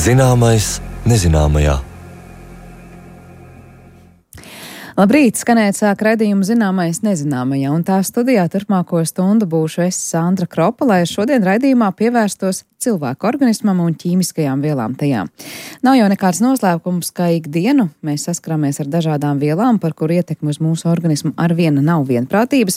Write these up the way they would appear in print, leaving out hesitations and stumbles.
Zināmais nezināmajā. Labrīt, skanēt sāk raidījumu Zināmais nezināmajā, un tā studijā turpmāko stundu būšu es, Sandra Kropa, lai šodien raidījumā pievērstos cilvēku organismam un ķīmiskajām vielām tajā. Nav jau nekāds noslēpums, ka ikdienu mēs saskaramies ar dažādām vielām, par kuru ietekmi uz mūsu organismu arvien nav vienprātības.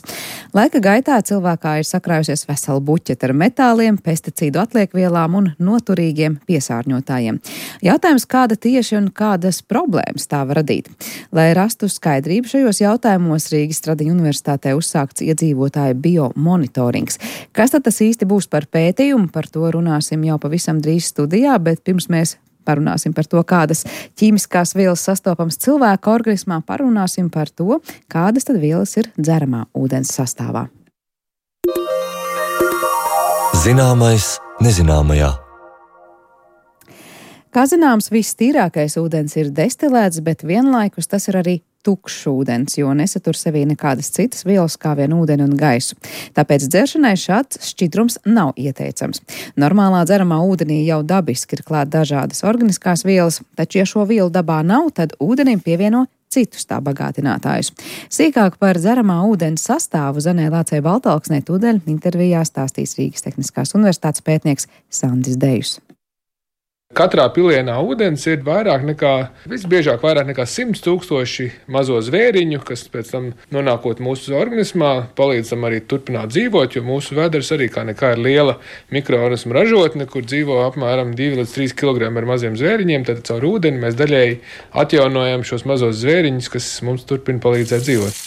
Laika gaitā cilvēkā ir sakrājusies vesela buķete ar metāliem, pesticīdu atliekvielām un noturīgiem piesārņotājiem. Jautājums, kāda tieši un kādas problēmas tā var radīt? Lai rastu skaidrību šajos jautājumos, Rīgas Stradiņu universitātē uzsākts iedzīvotāju biomonitorings. Kas tad tas īsti būs par pētījumu? Par to runāsim jau pavisam drīz studijā, bet pirms mēs parunāsim par to, kādas ķīmiskās vielas sastopams cilvēka organismā, parunāsim par to, kādas tad vielas ir dzeramā ūdens sastāvā. Zināmais nezināmajā. Kā zināms, viss tīrākais ūdens ir destilēts, bet vienlaikus tas ir arī tukšs ūdens, jo nesatur sevī nekādas citas vielas kā vien ūdeni un gaisu. Tāpēc dzeršanai šāds šķidrums nav ieteicams. Normālā dzeramā ūdenī jau dabiski ir klāt dažādas organiskās vielas, taču, ja šo vielu dabā nav, tad ūdenim pievieno citus tā bagātinātājus. Sīkāk par dzeramā ūdens sastāvu Zanē Lācei Baltalksnē tūdaļ intervijā stāstīs Rīgas Tehniskās universitātes pētnieks Sandis Dejus. Katrā pilienā ūdens ir visbiežāk vairāk nekā 100 000 mazo zvēriņu, kas pēc tam nonākot mūsu organismā, palīdz tam arī turpināt dzīvot, jo mūsu vēders arī kā nekā ir liela mikroorganismu ražotne, kur dzīvo apmēram 2 līdz 3 kg ar maziem zvēriņiem, tad caur ūdeni mēs daļēji atjaunojam šos mazos zvēriņus, kas mums turpina palīdzēt dzīvot.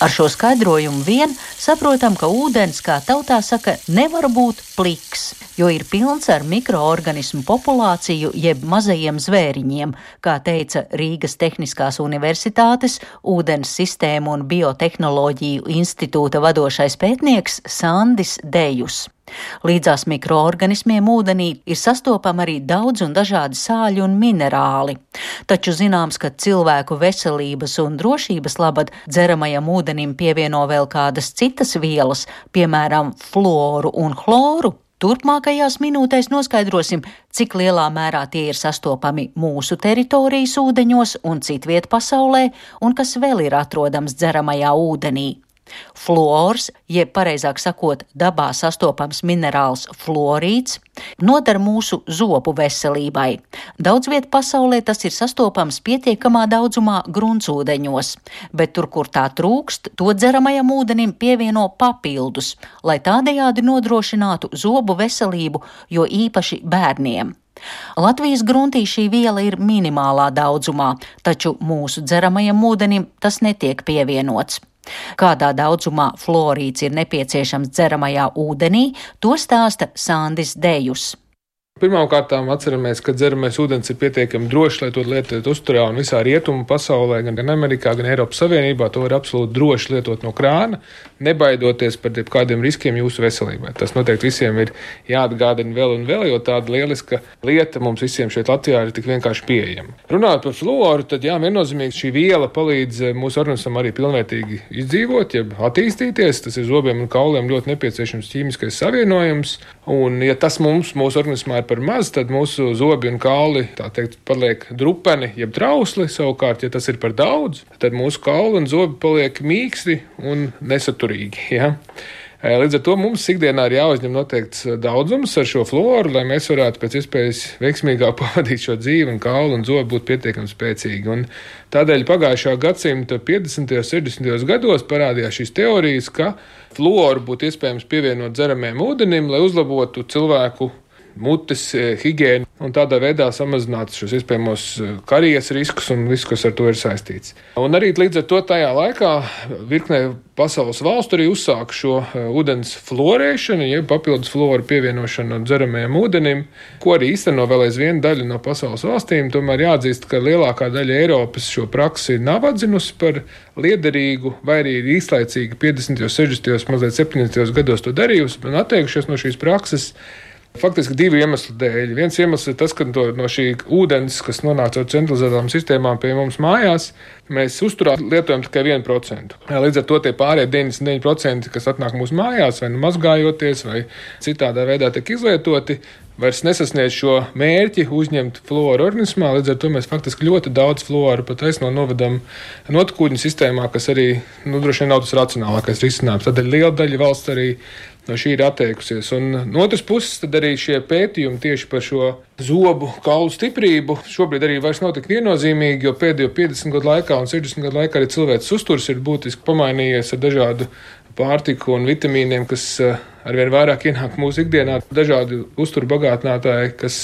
Ar šo skaidrojumu vien saprotam, ka ūdens, kā tautā saka, nevar būt pliks, jo ir pilns ar mikroorganismu populāciju jeb mazajiem zvēriņiem, kā teica Rīgas Tehniskās universitātes ūdens sistēmu un biotehnoloģiju institūta vadošais pētnieks Sandis Dejus. Līdzās mikroorganismiem ūdenī ir sastopami arī daudz un dažādi sāļi un minerāli. Taču zināms, ka cilvēku veselības un drošības labad dzeramajam ūdenim pievieno vēl kādas citas vielas, piemēram, fluoru un chloru. Turpmākajās minūtēs noskaidrosim, cik lielā mērā tie ir sastopami mūsu teritorijas ūdeņos un citviet pasaulē, un kas vēl ir atrodams dzeramajā ūdenī. Fluors, jeb pareizāk sakot, dabā sastopams minerāls fluorīds, noder mūsu zobu veselībai. Daudz viet pasaulē tas ir sastopams pietiekamā daudzumā gruntsūdeņos, bet tur, kur tā trūkst, to dzeramajam ūdenim pievieno papildus, lai tādējādi nodrošinātu zobu veselību, jo īpaši bērniem. Latvijas gruntī šī viela ir minimālā daudzumā, taču mūsu dzeramajam ūdenim tas netiek pievienots. Kādā daudzumā fluorīds ir nepieciešams dzeramajā ūdenī, to stāsta Sandis Dejus. Pirmkārt, atceramies, ka dzeramais ūdens ir pietiekami drošs, lai to lietot uzturā un visā rietumu pasaulē, gan Amerikā, gan Eiropas Savienībā. To var absolūti droši lietot no krāna, nebaidoties par kādiem riskiem jūsu veselībai. Tas noteikti visiem ir jāatgādina vēl un vēl, jo tāda lieliska lieta mums visiem šeit Latvijā ir tik vienkārši pieejama. Runājot par fluoru, tad viennozīmīgi šī viela palīdz mūsu organismam arī pilnvērtīgi izdzīvot, jeb attīstīties. Tas ir zobiem un kauliem ļoti nepieciešams ķīmiskais savienojums, un ja tas mūsu organismā par maz, tad mūsu zobi un kauli, tā teikt, paliek drupeni, jeb trausli. Savukārt, ja tas ir par daudz, tad mūsu kauli un zobi paliek mīksti un nesaturīgi. Ja? Līdz ar to mums ikdienā ir jāuzņem noteikts daudzums ar šo fluoru, lai mēs varētu pēc iespējas veiksmīgāk pavadīt šo dzīvi un kauli un zobi būtu pietiekami spēcīgi. Un tādēļ pagājušā gadsimta 50. un 60. gados parādījās šīs teorijas, ka fluoru būtu iespējams pievienot dzeramajam ūdenim, lai uzlabotu cilvēku mutes higiēnu un tādā veidā samazināt šos iespējamos karijas riskus un visu, kas ar to ir saistīts. Un arī līdz ar to tajā laikā virknē pasaules valstu arī uzsāka šo ūdens fluorēšanu, jeb papildus fluoru pievienošanu dzeramajam ūdenim, ko arī īsteno vēl aizvien daļa no pasaules valstīm. Tomēr jāatzīst, ka lielākā daļa Eiropas šo praksi nav atzinusi par liederīgu, vai arī īslaicīgi 50., 60., mazliet 70. gados to darījusi un atteikušies no šīs prakses. Faktiski divu iemeslu dēļ. Viens iemesls ir tas, ka no šī ūdens, kas nonāk caur centralizētām sistēmām pie mums mājās, mēs uzturā lietojam tikai 1%. Līdz ar to tie pārējie 99%, kas atnāk mūsu mājās, vai nu mazgājoties, vai citādā veidā tiek izlietoti, vairs nesasniedz šo mērķi uzņemt fluoru organismā. Līdz ar to mēs faktiski ļoti daudz fluoru pat novedam notekūdeņu sistēmā, kas arī droši vien nav tas racionālākais risinājums. Tādēļ liela daļa valsts arī no šī ir atteikusies. Un no otras puses, tad arī šie pētījumi tieši par šo zobu kaulu stiprību šobrīd arī vairs nav tik viennozīmīgi, jo pēdējo 50 gadu laikā un 60 gadu laikā arī cilvēks uzturs ir būtiski pamainījies ar dažādu pārtiku un vitamīniem, kas arvien vairāk ienāk mūsu ikdienā. Dažādi uzturu bagātinātāji, kas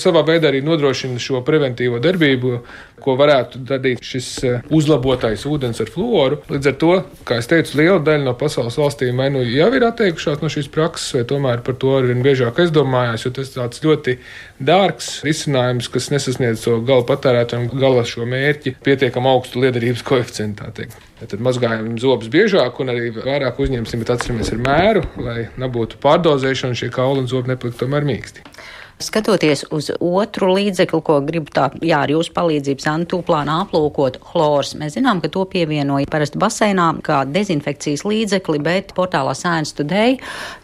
savā veidā arī nodrošina šo preventīvo darbību, ko varētu darīt šis uzlabotais ūdens ar fluoru. Līdz ar to, kā es teicu, liela daļa no pasaules valstīm vai nu jau ir atteikušās no šīs prakses, vai tomēr par to arvien biežāk aizdomājās, jo tas tāds ļoti dārgs risinājums, kas nesasniedz to gala patērētājiem gala šo mērķi pietiekam augstu liederības koeficientu, tā teikt. Tad mazgājam zobus biežāk un arī vairāk uzņemsim, bet atceramies ar mēru, lai nebūtu pārdozēšana, šie kauli un zobi nepalikt tomēr mīksti. Skatoties uz otru līdzekli, ko gribu ar jūsu palīdzību Santūplānā aplūkot, chlors. Mēs zinām, ka to pievienoja parasti baseinā kā dezinfekcijas līdzekli, bet portālā Science Today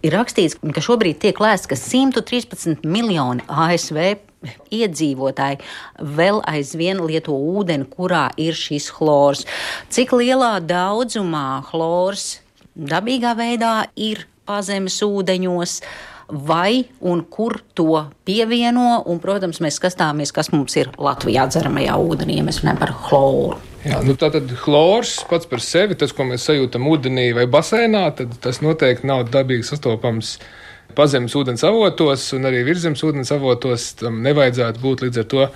ir rakstīts, ka šobrīd tiek lēsts, ka 113 miljoni ASV iedzīvotāji vēl aizvien lieto ūdeni, kurā ir šis chlors. Cik lielā daudzumā chlors dabīgā veidā ir pazemes ūdeņos, vai un kur to pievieno, un, protams, mēs skatāmies, kas mums ir Latvijā dzeramajā ūdenī, ja mēs runājam par chloru. Jā, tātad chlors pats par sevi, tas, ko mēs sajūtam ūdenī vai basēnā, tad tas noteikti nav dabīgi sastopams pazemes ūdens avotos, un arī virzemes ūdens avotos tam nevajadzētu būt. Līdz ar to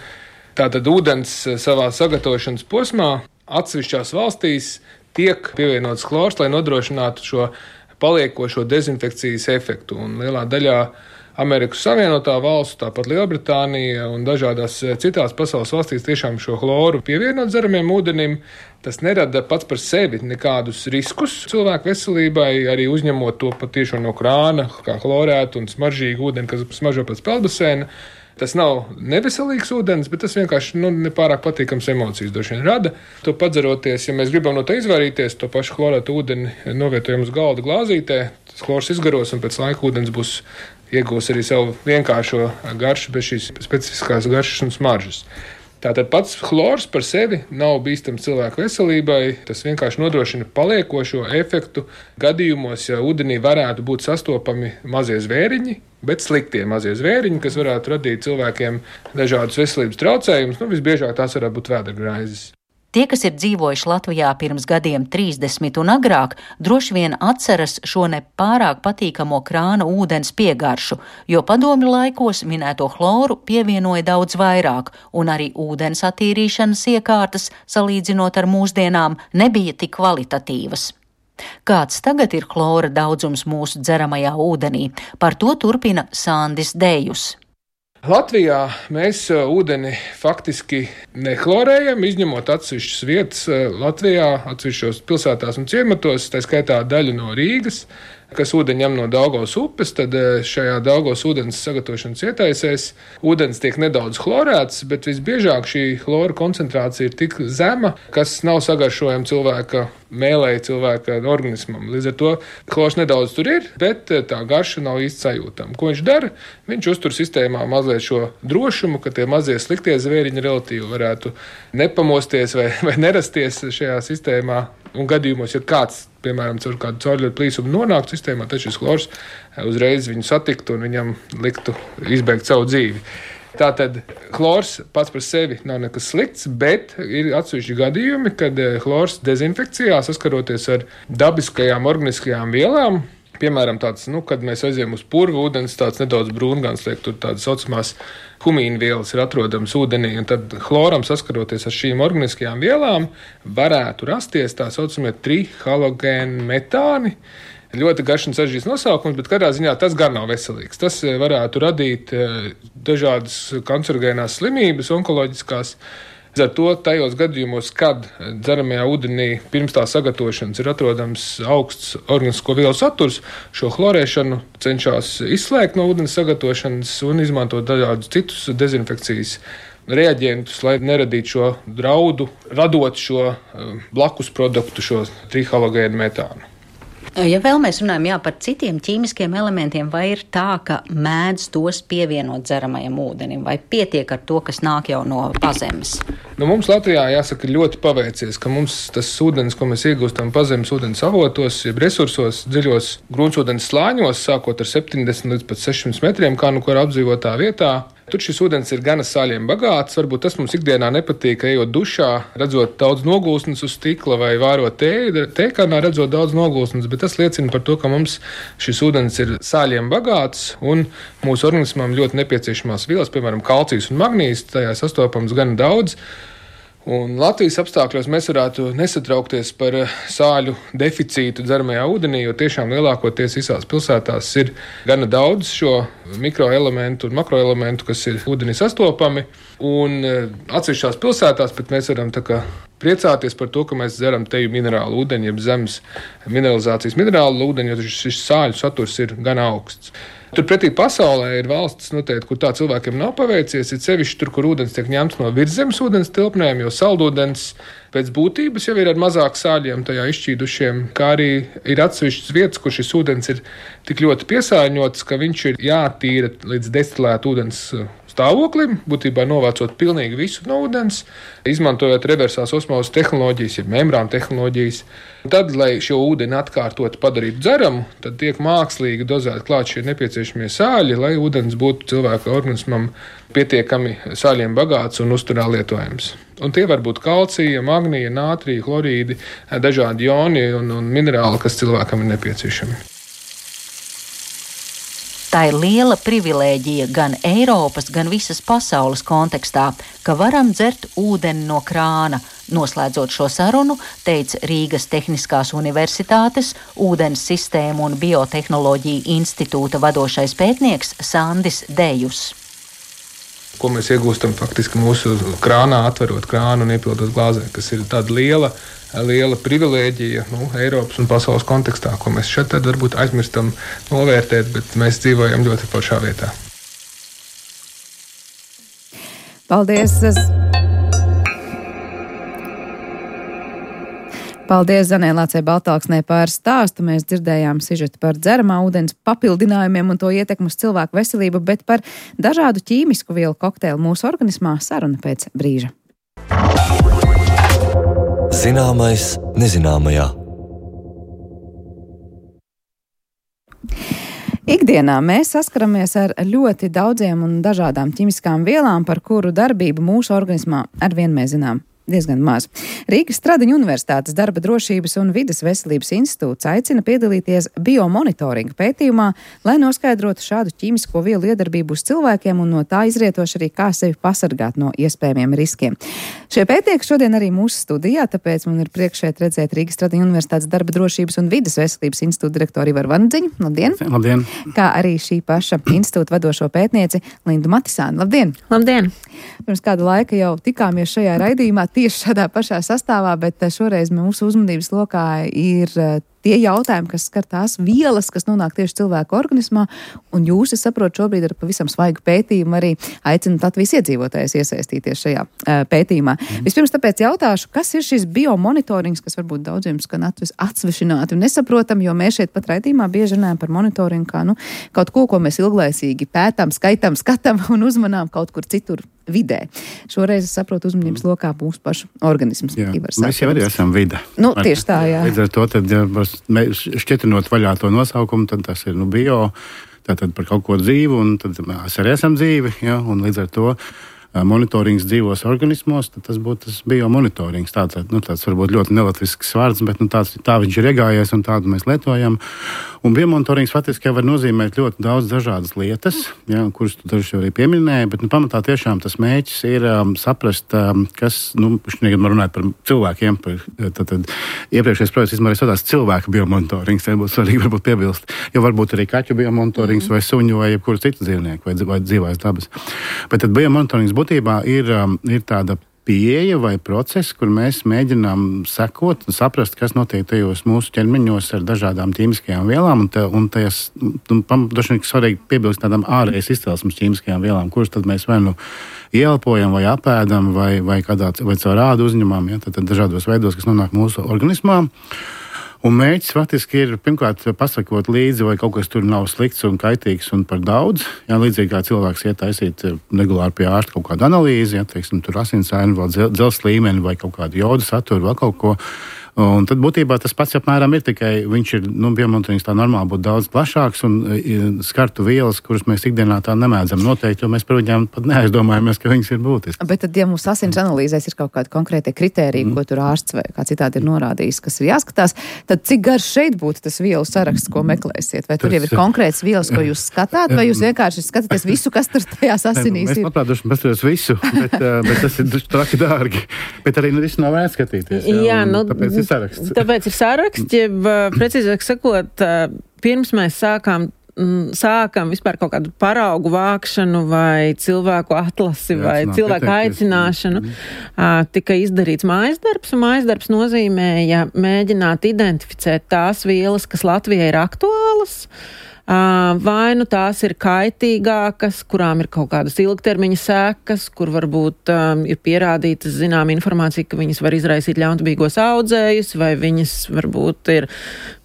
tātad ūdens savā sagatavošanas posmā atsevišķās valstīs tiek pievienots chlors, lai nodrošinātu šo paliekošo dezinfekcijas efektu. Un lielā daļā Amerikas Savienotā valstu, tāpat Lielbritānija un dažādās citās pasaules valstīs tiešām šo chloru pievienot dzeramiem ūdenim. Tas nerada pats par sevi nekādus riskus cilvēku veselībai, arī uzņemot to patiešām no krāna, kā chlorētu un smaržīgu ūdeni, kas smaržo pēc peldbaseina. Tas nav neveselīgs ūdens, bet tas vienkārši nepārāk patīkams emocijas droši vien rada. To padzeroties, ja mēs gribam no tā izvairīties, to pašu chlorētu ūdeni novietojam uz galda glāzītē, tas chlors izgaros un pēc laika ūdens būs iegūs arī savu vienkāršo garšu bez šīs specifiskās garšas un smaržas. Tātad pats chlors par sevi nav bīstams cilvēku veselībai, tas vienkārši nodrošina paliekošo efektu gadījumos, ja ūdenī varētu būt sastopami mazie zvēriņi, bet sliktie mazie zvēriņi, kas varētu radīt cilvēkiem dažādus veselības traucējumus, visbiežāk tās varētu būt vēdergraizes. Tie, kas ir dzīvojuši Latvijā pirms gadiem 30 un agrāk, droši vien atceras šo nepārāk patīkamo krāna ūdens piegaršu, jo padomju laikos minēto chloru pievienoja daudz vairāk, un arī ūdens attīrīšanas iekārtas, salīdzinot ar mūsdienām, nebija tik kvalitatīvas. Kāds tagad ir chlora daudzums mūsu dzeramajā ūdenī? Par to turpina Sandis Dejus. Latvijā mēs ūdeni faktiski nechlorējam, izņemot atsevišķas vietas Latvijā, atsevišķos pilsētās un ciematos, tā skaitā daļu no Rīgas, kas ūdeņu ņem no Daugavas upes, tad šajā Daugavas ūdens sagatavošanas ietaisēs ūdens tiek nedaudz chlorēts, bet visbiežāk šī chlora koncentrācija ir tik zema, kas nav sagaršojama cilvēka mēlēja cilvēka organismam. Līdz ar to chlors nedaudz tur ir, bet tā garša nav īsti sajūtama. Ko viņš dara? Viņš uztur sistēmā mazliet šo drošumu, ka tie mazie sliktie zvēriņi relatīvi varētu nepamosties vai nerasties šajā sistēmā. Un gadījumos, ja kāds, piemēram, caur kādu caurļotu plīsumu nonāktu sistēmā, tad šis chlors uzreiz viņu satiktu un viņam liktu izbeigt savu dzīvi. Tātad chlors pats par sevi nav nekas slikts, bet ir atsevišķi gadījumi, kad chlors dezinfekcijā saskaroties ar dabiskajām organiskajām vielām, piemēram, tāds, kad mēs aizējam uz purvu, ūdens tāds nedaudz brūngans, liek tur tādas saucamās humīna vielas ir atrodamas ūdenī, un tad chloram saskaroties ar šīm organiskajām vielām varētu rasties tā saucamie trihalogēni metāni. Ļoti garš un sarežģīts nosaukums, bet katrā ziņā tas gan nav veselīgs. Tas varētu radīt dažādas kancerogēnās slimības, onkoloģiskās. Ar to tajos gadījumos, kad dzeramajā ūdenī pirms tā sagatavošanas ir atrodams augsts organisko vielu saturs, šo chlorēšanu cenšas izslēgt no ūdens sagatavošanas un izmantot dažādus citus dezinfekcijas reaģentus, lai neradītu šo draudu, radot šo blakus produktu, šo trihalogēnu metānu. Ja vēl mēs runājam par citiem ķīmiskiem elementiem, vai ir tā, ka mēdz tos pievienot dzeramajam ūdenim, vai pietiek ar to, kas nāk jau no pazemes? Mums Latvijā jāsaka ļoti paveicies, ka mums tas ūdens, ko mēs iegūstam pazemes ūdens avotos, jeb resursos, dziļos gruntsūdens slāņos, sākot ar 70 līdz pat 600 metriem, kā nu kur apdzīvotā vietā. Tur šis ūdens ir gana sāļiem bagāts. Varbūt tas mums ikdienā nepatīk, ejot dušā, redzot daudz nogulsnes uz stikla vai vārot tēkanā, redzot daudz nogulsnes, bet tas liecina par to, ka mums šis ūdens ir sāļiem bagāts un mūsu organismam ļoti nepieciešamās vielas, piemēram, kalcijs un magnīzs, tajā sastopams gana daudz. Un Latvijas apstākļos mēs varētu nesatraukties par sāļu deficītu dzeramajā ūdenī, jo tiešām lielākoties visās pilsētās ir gana daudz šo mikroelementu un makroelementu, kas ir ūdenī sastopami. Un atsevišķās pilsētās pat mēs varam priecāties par to, ka mēs dzeram teju minerālu ūdeni, jeb zemes mineralizācijas minerālu ūdeni, jo šis sāļu saturs ir gana augsts. Turpretī pasaulē ir valstis, noteikti, kur tā cilvēkiem nav paveicies, ir sevišķi tur, kur ūdens tiek ņemts no virszemes ūdens tilpnēm, jo saldūdens pēc būtības jau ir ar mazāk sāļiem tajā izšķīdušiem, kā arī ir atsevišķas vietas, kur šis ūdens ir tik ļoti piesārņots, ka viņš ir jātīra līdz destilētu ūdens stāvoklim, būtībā novācot pilnīgi visu no ūdens, izmantojot reversās osmozes tehnoloģijas, jeb membrānu tehnoloģijas. Tad, lai šo ūdeni atkārtot padarītu dzeramu, tad tiek mākslīgi dozēti klāt šie nepieciešamie sāļi, lai ūdens būtu cilvēka organismam pietiekami sāļiem bagāts un uzturā lietojams. Un tie var būt kalcija, magnija, nātrija, chlorīdi, dažādi joni un minerāli, kas cilvēkam ir nepieciešami. Tā ir liela privilēģija gan Eiropas, gan visas pasaules kontekstā, ka varam dzert ūdeni no krāna. Noslēdzot šo sarunu, teica Rīgas Tehniskās universitātes ūdens sistēmu un biotehnoloģiju institūta vadošais pētnieks Sandis Dejus. Ko mēs iegūstam faktiski mūsu krānā, atverot krānu un iepildot glāzē, kas ir tāda liela privilēģija Eiropas un pasaules kontekstā, ko mēs šeit tad varbūt aizmirstam novērtēt, bet mēs dzīvojam ļoti foršā vietā. Paldies! Paldies Zanē Lācei Baltāksnē par stāstu. Mēs dzirdējām sižetu par dzeramā ūdens papildinājumiem un to ietekmu uz cilvēku veselību, bet par dažādu ķīmisku vielu kokteili mūsu organismā saruna pēc brīža. Zināmais nezināmajā. Ikdienā mēs saskaramies ar ļoti daudziem un dažādām ķimiskām vielām, par kuru darbību mūsu organismā arvien mēs zinām diezgan maz. Rīgas Stradiņu Universitātes darba drošības un vides veselības institūts aicina piedalīties biomonitoringa pētījumā, lai noskaidrotu šādu ķīmisko vielu iedarbību uz cilvēkiem un no tā izrietoši arī kā sevi pasargāt no iespējamiem riskiem. Šie pētnieki šodien arī mūsu studijā, tāpēc man ir prieks šeit redzēt Rīgas Stradiņu Universitātes darba drošības un vides veselības institūta direktoru Ivaru Vandziņu. Labdien! Labdien! Kā arī šī paša institūta vadošo pētnieci Lindu Matisānu. Labdien! Labdien! Pirms kāda laika jau tikāmies šajā raidījumā tieši šādā pašā sastāvā, bet šoreiz mūsu uzmanības lokā ir tie jautājumi, kas skar tās vielas, kas nonāk tieši cilvēku organismā, un jūs, es saprotu, šobrīd ar pavisam svaigu pētījumu arī aicināt Latvijas iedzīvotājus iesaistīties šajā pētījumā. Vispirms tāpēc jautāšu, kas ir šis biomonitorings, kas varbūt daudziem skan atsvešināti un nesaprotam, jo mēs šeit pat raidījumā bieži runājam par monitoringu kā kaut ko mēs ilglaicīgi pētām, skaitām, skatām un uzmanām kaut kur citur vidē. Šoreiz, es saprotu, uzmanības lokā mūsu pašu organisms. Mēs jau arī esam vide. Tieši tā, jā. Līdz ar to, tad, šķietinot vaļā to nosaukumu, tad tas ir bio, tātad par kaut ko dzīvu, un tad mēs arī esam dzīvi, un līdz ar to monitorings dzīvos organismos, tad tas būtu tas biomonitorings. Tāds varbūt ļoti nelatvisks vārds, bet tā viņš ir iegājies un tādu mēs lietojam. Un biomonitorings faktiski var nozīmēt ļoti daudz dažādas lietas, kuras tu dažu arī pieminēji, bet pamatā tiešām tas mērķis ir saprast, kas, šodien man runāt par cilvēkiem, tad iepriekšējais projekts izmērīs tādās cilvēku biomonitorings, būtu svarīgi varbūt piebilst, jo varbūt arī kaķu biomonitorings vai suņu vai jebkuru citu dzīvnieku vai dzīvās dabas. Bet tad biomonitorings būtībā ir tāda pieeja vai process, kur mēs mēģinām sekot un saprast, kas notiek tajos mūsu ķermeņos ar dažādām ķīmiskajām vielām. Un tas droši vien svarīgi piebilst tādām ārējas izcelsmes ķīmiskajām vielām, kuras tad mēs vai nu ieelpojam, vai apēdam, vai caur ādu uzņemam, ja, tad dažādos veidos, kas nonāk mūsu organismā. Un mērķis faktiski ir pirmkārt pasakot līdzi, vai kaut kas tur nav slikts un kaitīgs un par daudz. Jā, līdzīgi kā cilvēks iet taisīt regulāri pie ārsta kaut kādu analīzi, ja, teiksim, tur asinsaini, vēl dzelzs līmeni vai kaut kādu jodu saturu, vēl kaut ko. Un tad būtībā tas pats apmēram ir, tikai viņš ir, biomonitorings tā normāli būtu daudz plašāks un skartu vielas, kuras mēs ikdienā tā nemēdzam noteikt, jo mēs par viņām pat neaizdomājamies, ka viņas ir būtiskas. Bet tad, ja mums asins analīzēs ir kaut kādi konkrēti kritēriji, ko tur ārsts vai kā citādi ir norādījis, kas ir jāskatās, tad cik garš šeit būtu tas vielu saraksts, ko meklēsiet? Vai tur jau ir konkrēts vielas, ko jūs skatāt, vai jūs vienkārši skatāties visu, kas tur tajās asinīs ir? Mēs labprāt paskatītos visu, bet tas ir traki dārgi. Bet arī visu nav vērts skatīties. Jā, Tāpēc ir saraksts, jeb precīzāk sakot, pirms mēs sākam vispār kaut kādu paraugu vākšanu vai cilvēku atlasi vai cilvēku aicināšanu, tika izdarīts mājasdarbs, un mājasdarbs nozīmēja mēģināt identificēt tās vielas, kas Latvijai ir aktuālas, vai nu tās ir kaitīgākas, kurām ir kaut kādas ilgtermiņa sekas, kur varbūt ir pierādītas zinām informācija, ka viņas var izraisīt ļaunprātīgos audzējus, vai viņas varbūt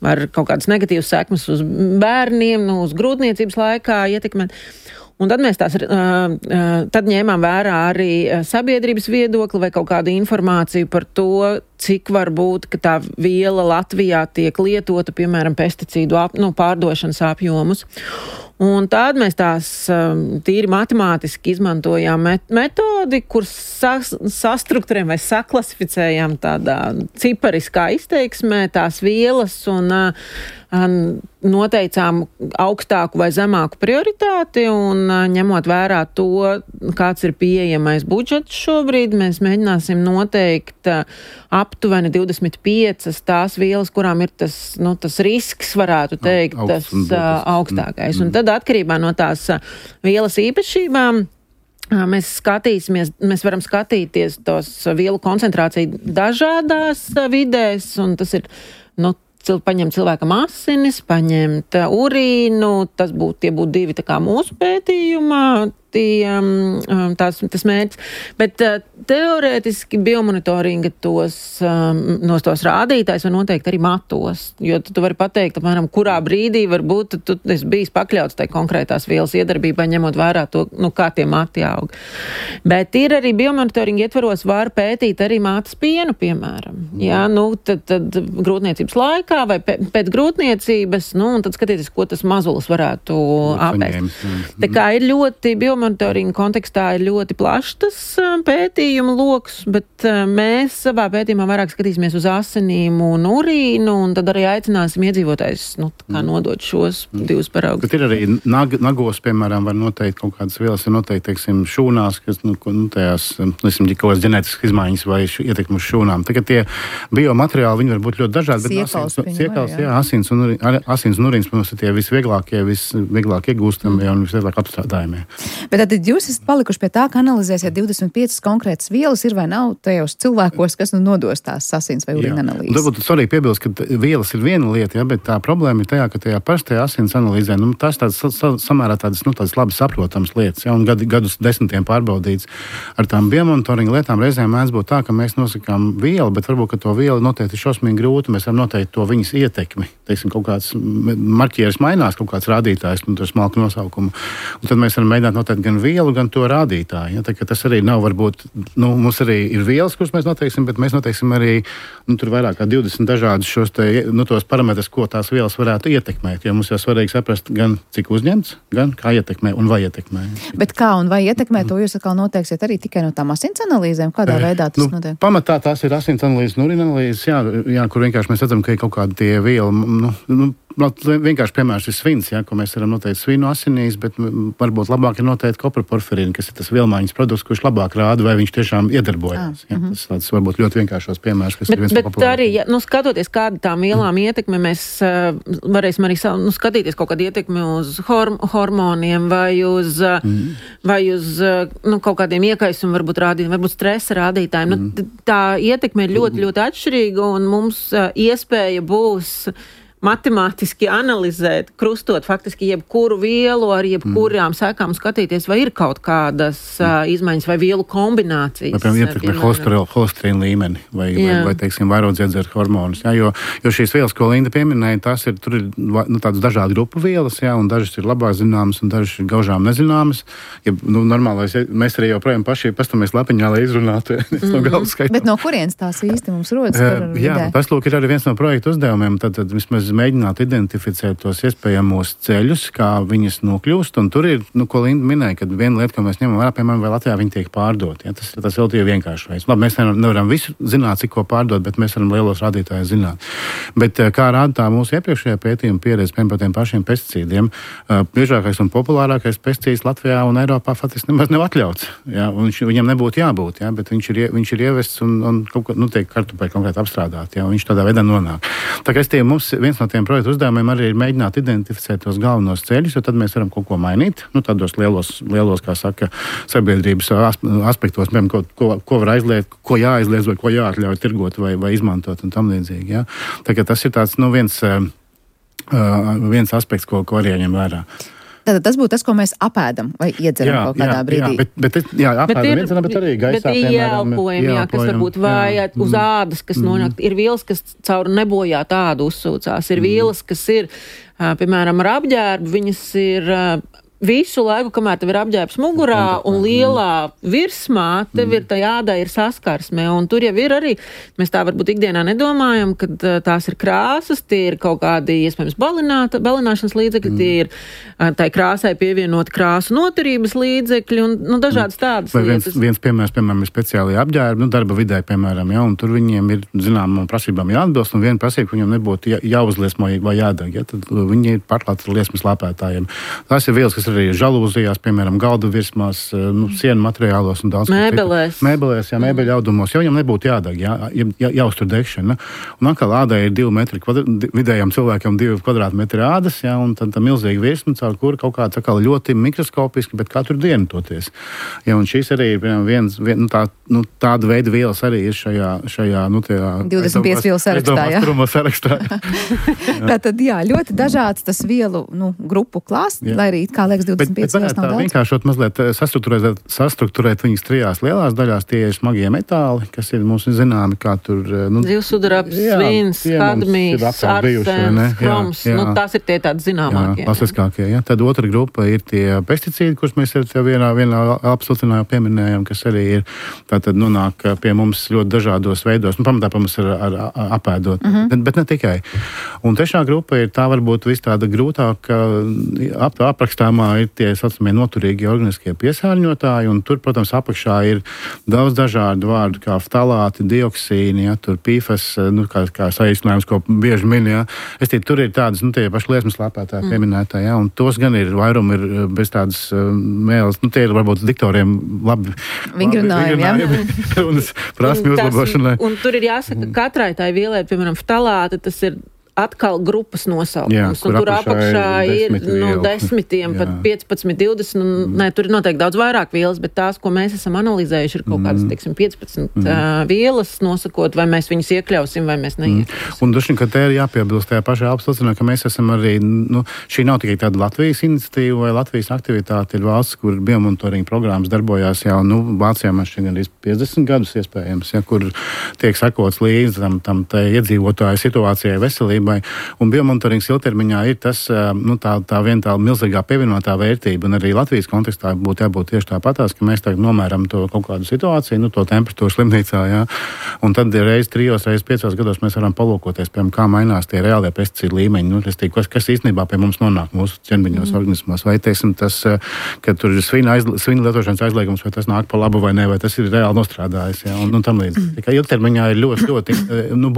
var kaut kādas negatīvas sekmes uz bērniem, uz grūtniecības laikā ietekmēt. Un tad mēs tad ņēmām vērā arī sabiedrības viedokli vai kaut kādu informāciju par to, cik var būt, ka tā viela Latvijā tiek lietota, piemēram, pesticīdu pārdošanas apjomus. Un tad mēs tās tīri matemātiski izmantojām metodi, kur sastrukturējam vai saklasificējam tādā cipariskā izteiksmē tās vielas un noteicām augstāku vai zemāku prioritāti un ņemot vērā to, kāds ir pieejamais budžets šobrīd, mēs mēģināsim noteikt aptuveni 25 tās vielas, kurām ir tas risks, varētu teikt, tas augstākais. Un tad atkarībā no tās vielas īpašībām mēs varam skatīties tos vielu koncentrāciju dažādās vidēs, un tas ir, paņemt cilvēkam asinis, paņemt urīnu, tie būtu divi tā kā mūsu pētījumā, tas mērķis. Bet teorētiski biomonitoringa tos rādītājs var noteikt arī matos, jo tu vari pateikt, apmēram, kurā brīdī varbūt tu esi bijis pakļauts tai konkrētās vielas iedarbībai, ņemot vērā to, kā tie mati aug. Bet ir arī biomonitoringa ietvaros var pētīt arī mātes pienu, piemēram. Jā, tad grūtniecības laikā vai pēc grūtniecības, un tad skatīties, ko tas mazulis varētu apēst. Tā kā ir ļoti monitoringa kontekstā ir ļoti plašs tas pētījuma loks, bet mēs savā pētījumā vairāk skatīsimies uz asinīm un urīnu, un tad arī aicināsim iedzīvotājus kā nodot šos divus paraugus. Bet ir arī nagos, piemēram, var noteikt kaut kādas vielas, ir noteikti, teiksim, šūnās, kas, tajās, kaut kādas ģenētiskas izmaiņas vai ietekmi uz šūnām. Tagad tie biomateriāli, viņi var būt ļoti dažādi, bet asins un urīns, protams, ir tie visvieglāk iegūstamie un visvieglāk apstrādājumie. Bet tad jūs esat palikuši pie tā, ka analizēsiet 25 konkrētas vielas, ir vai nav tajos cilvēkos, kas nodos tās asins vai urīna analīzes. Varbūt svarīgi piebilst, ka vielas ir viena lieta, bet tā problēma ir tajā, ka tajā parastajā asins analīzē, tās samērā tādas labi saprotams lietas, un gadus desmitiem pārbaudīts. Ar tām biomonitoringa lietām reizēm mēdz būt tā, ka mēs nosakām vielu, bet varbūt, ka to vielu noteikti ir šausmīgi grūti, mēs varam noteikt to viņas ietekmi. Teiksim, kaut kāds marķieris mainās, kaut kāds rādītājs, ar smalku nosaukumu. Un tad mēs varam mēģināt noteikt gan vielu, gan to rādītāju. Ja? Tā, tas arī nav varbūt, mums arī ir vielas, kuras mēs noteiksim, bet mēs noteiksim arī, tur vairāk kā 20 dažādus šos tos parametrus, ko tās vielas varētu ietekmēt. Jo mums jau svarīgi saprast gan cik uzņemts, gan kā ietekmē un vai ietekmē. Bet kā un vai ietekmē, to jūs atkal noteiksiet arī tikai no tām asins analīzēm? Kādā veidā tas notiek? Pamatā tās ir asins analīzes un urīna analīzes, jā, kur vienkārši mēs redzam, ka ir kaut kādi tie vielu, vienkārši piemērs ir svins, ja, ko mēs varam noteikt svinu asinīs, bet varbūt labāk ir noteikt kopraporfirīnu, kas ir tas vielmaiņas produkts, kurš labāk rāda, vai viņš tiešām iedarbojas. Ja. Tas tāds varbūt ļoti vienkāršos piemērs, kas ir viens no populārākajiem. Bet arī, ja, skatoties, kāda tām vielām ietekme, mēs varēsim arī skatīties kaut kādu ietekmi uz hormoniem vai uz kaut kādiem iekaisumu, varbūt rādījumiem, varbūt stresa rādītājiem. Tā ietekme ir ļoti, ļoti atšķirīga, un mums iespēja būs matemātiski analizēt, krustot faktiski jebkuru vielu ar jebkurām sekām skatīties, vai ir kaut kādas izmaiņas vai vielu kombinācijas. Vai, piemēram, ietekmē holesterīna līmeni vai teiksim, vairodziedzera hormonus. Jā, jo šīs vielas, ko Linda pieminēja, tur ir tādas dažādi grupu vielas, jā, un dažas ir labāk zināmas, un dažas ir gaužām nezināmas. Ja, normālais, mēs arī joprojām paši pastamies lapiņā, lai izrunātu no galvas skaitu. Bet no kurienes tās īsti mums rodas? Jā, tas lūk ir arī viens no projektu uzdevumiem, tad vismaz mēģināt identificēt tos iespējamos ceļus, kā viņas nokļūst, un tur ir, ko Linda minēja, kad viena lieta, ko mēs ņemam vērā, piemēram, vai Latvijā viņi tiek pārdot. Ja? Tas vēl tie vienkārši veids. Labi, mēs nevaram visu zināt, cik ko pārdot, bet mēs varam lielos rādītājus zināt. Bet kā rāda tā mūsu iepriekšējā pētījuma pieredze par tiem pašiem pesticīdiem, biežākais un populārākais pesticīds Latvijā un Eiropā faktiski nemaz nav atļauts. Ja? Viņam nebūtu jābūt, ja? Bet viņš ir ievests un tiek kartupeļi konkrēti apstrādāti, ja? Viņš tādā veidā nonāk. Tā kā mums viens no tiem projektu uzdevumiem arī ir mēģināt identificēt tos galvenos ceļus, jo tad mēs varam kaut ko mainīt, tādos lielos, kā saka, sabiedrības aspektos, piemēram, ko var aizliegt, ko jāaizliedz vai ko jāatļauj tirgot vai izmantot un tam līdzīgi. Ja? Tā kā tas ir tāds, viens aspekts, ko arī jāņem vērā. Tātad tas būtu tas, ko mēs apēdam vai iedzeram kaut kādā brīdī. Apēdam, bet arī gaisā, piemēram. Kas varbūt vājāt uz ādas, kas nonāk. Ir vielas, kas caur nebojāt ādu uzsūcās. Ir vielas, kas ir, piemēram, ar apģērbu, viņas ir visu laiku, kamēr tev ir apģērbs mugurā un lielā virsmā, tev ir tā ādai ir saskarsme. Un tur jau ir arī, mēs tā varbūt ikdienā nedomājam, kad tās ir krāsas, tie ir kaut kādi, iespējams, balināšanas līdzekļi, tie ir tai krāsai pievienot krāsu noturības līdzekļi un dažādas tādas lietas. Viens piemērs, piemēram, ir speciāli apģērbi, darba vidē, piemēram, ja, un tur viņiem ir, zinām, prasībām jāatbilst, un viena prasība, ka viņiem nebūtu jāuzliesmo vai jādeg, ja, tad viņi ir pārklāti ar liesmas lāpētājiem. Tās ir vielas, kas arī žalūzijās, piemēram, galda virsmās, sienu materiālos un daudz mēbelēs, mēbeļu audumos, jo viņam nebūtu jādeg, jāuztur degšana. Un atkal ādai ir 2 metri, vidējām cilvēkam 2 kvadrātmetri ādas, un tad tā milzīga virsma, caur kuru kaut kāds atkal ļoti mikroskopiski, bet katru dienu toties. Ja, un šīs arī ir tāda veida vielas arī ir šajā 25 vielu sarakstā. Tātad, ļoti dažāds tas vielu grupu klāsts, lai arī kā liekas 25 vielas nav daudz. Vienkāršot mazliet sastruktūrēt viņas 3 lielās daļās, tie ir smagie metāli, kas ir mums zināmi, kā tur... Zivsudrabs, svins, kadmijs, arsens, kroms, tās ir tie tādi zināmākie. Klasiskākie, ja. Tad otra grupa ir tie pesticīdi, kurus mēs vienā apsiltinājā pieminējam, kas arī ir, tātad nonāk pie mums ļoti dažādos veidos, pamatā mums ar apēdot, bet ne tikai. Un trešā grupa ir tā varbūt vis tāda grūtāka aprakstāmā ir tie saucamie noturīgie organiskie piesārņotāji, un tur, protams, apakšā ir daudz dažādu vārdu, kā ftalāti, dioksīni, ja, tur PFAS, kā saīsinājums, ko bieži min, ja. Tur ir tādas, tie paši liesmas lāpētāji pieminētāji, ja, un tos gan ir vairumi ir bez tādas mēles, tie ir varbūt diktoriem labi vingrinājumi, un prasmi uzlabošanai. Un tur ir jāsaka, katrai tai vielai, piemēram, ftalāti, tas ir atkal grupas nosaukums, un tur apakšā ir desmitiem, pat 15, 20, tur ir noteikti daudz vairāk vielas, bet tās, ko mēs esam analizējuši, ir kaut kādas, 15 vielas nosakot, vai mēs viņus iekļausim, vai mēs neiekļausim. Un droši vien, ka te ir jāpiebilst tajā pašā apstulcinā, ka mēs esam arī, šī nav tikai tāda Latvijas iniciatīva vai Latvijas aktivitāte, ir valsts, kur biomonitoringa programmas darbojās jau, Vācijā man šķiet gandrīz 50 gadus iespējams, ja, kur tiek sekots līdz tam iedzīvotāju situācijai, veselībai. Un biomontorings ilgtermiņā ir tas, tā viena tā milzīgā pievienotā vērtība, un arī Latvijas kontekstā būtu jābūt tieši tāpatās, ka mēs tagad nomēram to kaut kādu situāciju, to temperatūru slimnīcā, jā. Un tad reiz 3, reiz 5 gados mēs varam palūkoties, piemēram, kā mainās tie reālie pesticīdu līmeņi, kas īstenībā pie mums nonāk mūsu ķermeņos organismos, vai, teiksim, tas, ka tur ir svina lietošanas aizliegums, vai tas nāk pa labu vai ne, vai tas ir reāli nostrādājis, jā, un tam līdzi. Tikai ilgtermiņā ir ļoti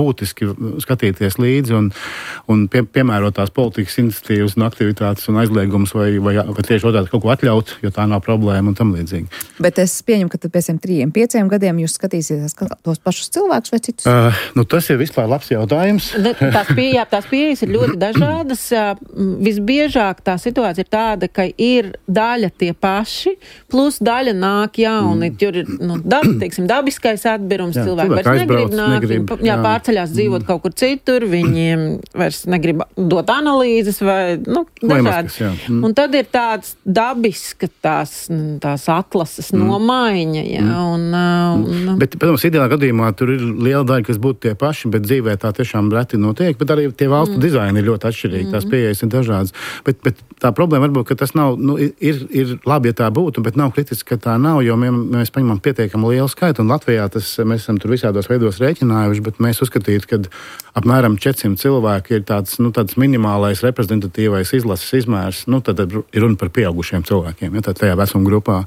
būtiski skatīties līdzi, un un piemērotās politikas iniciatīvas un aktivitātes un aizliegumus vai tieši otrādi kaut ko atļaut, jo tā nav problēma un tam līdzīgi. Bet es pieņemu, ka tad pēc 3-5 gadiem jūs skatīsieties tos pašus cilvēkus vai citus? Tas ir vispār labs jautājums. Tās pieejas ir ļoti dažādas. Visbiežāk tā situācija ir tāda, ka ir daļa tie paši, plus daļa nāk jauni. Tur ir dabiskais atbirums, cilvēki vairs negrib pārceļās dzīvot kaut kur citur, viņiem vairs negrib dot analīzes vai dažādi. Un tad ir tāds dabiska tās atlases nomaiņa. Bet, protams, ideālā gadījumā tur ir liela daļa, kas būtu tie paši, bet dzīvē tā tiešām reti notiek, bet arī tie valstu dizaini ir ļoti atšķirīgi, tās pieejas ir dažādas. Bet tā problēma varbūt, ka tas nav, ir labi, ja tā būtu, bet nav kritiski, ka tā nav, jo mēs paņemam pietiekami lielu skaitu, un Latvijā mēs esam tur visādos veidos rēķinājuši, bet mēs uzskatītu, ka apmēram 400 cilvēki ir tāds minimālais reprezentatīvais izlases izmērs, tad ir runa par pieaugušiem cilvēkiem, tajā vecuma grupā,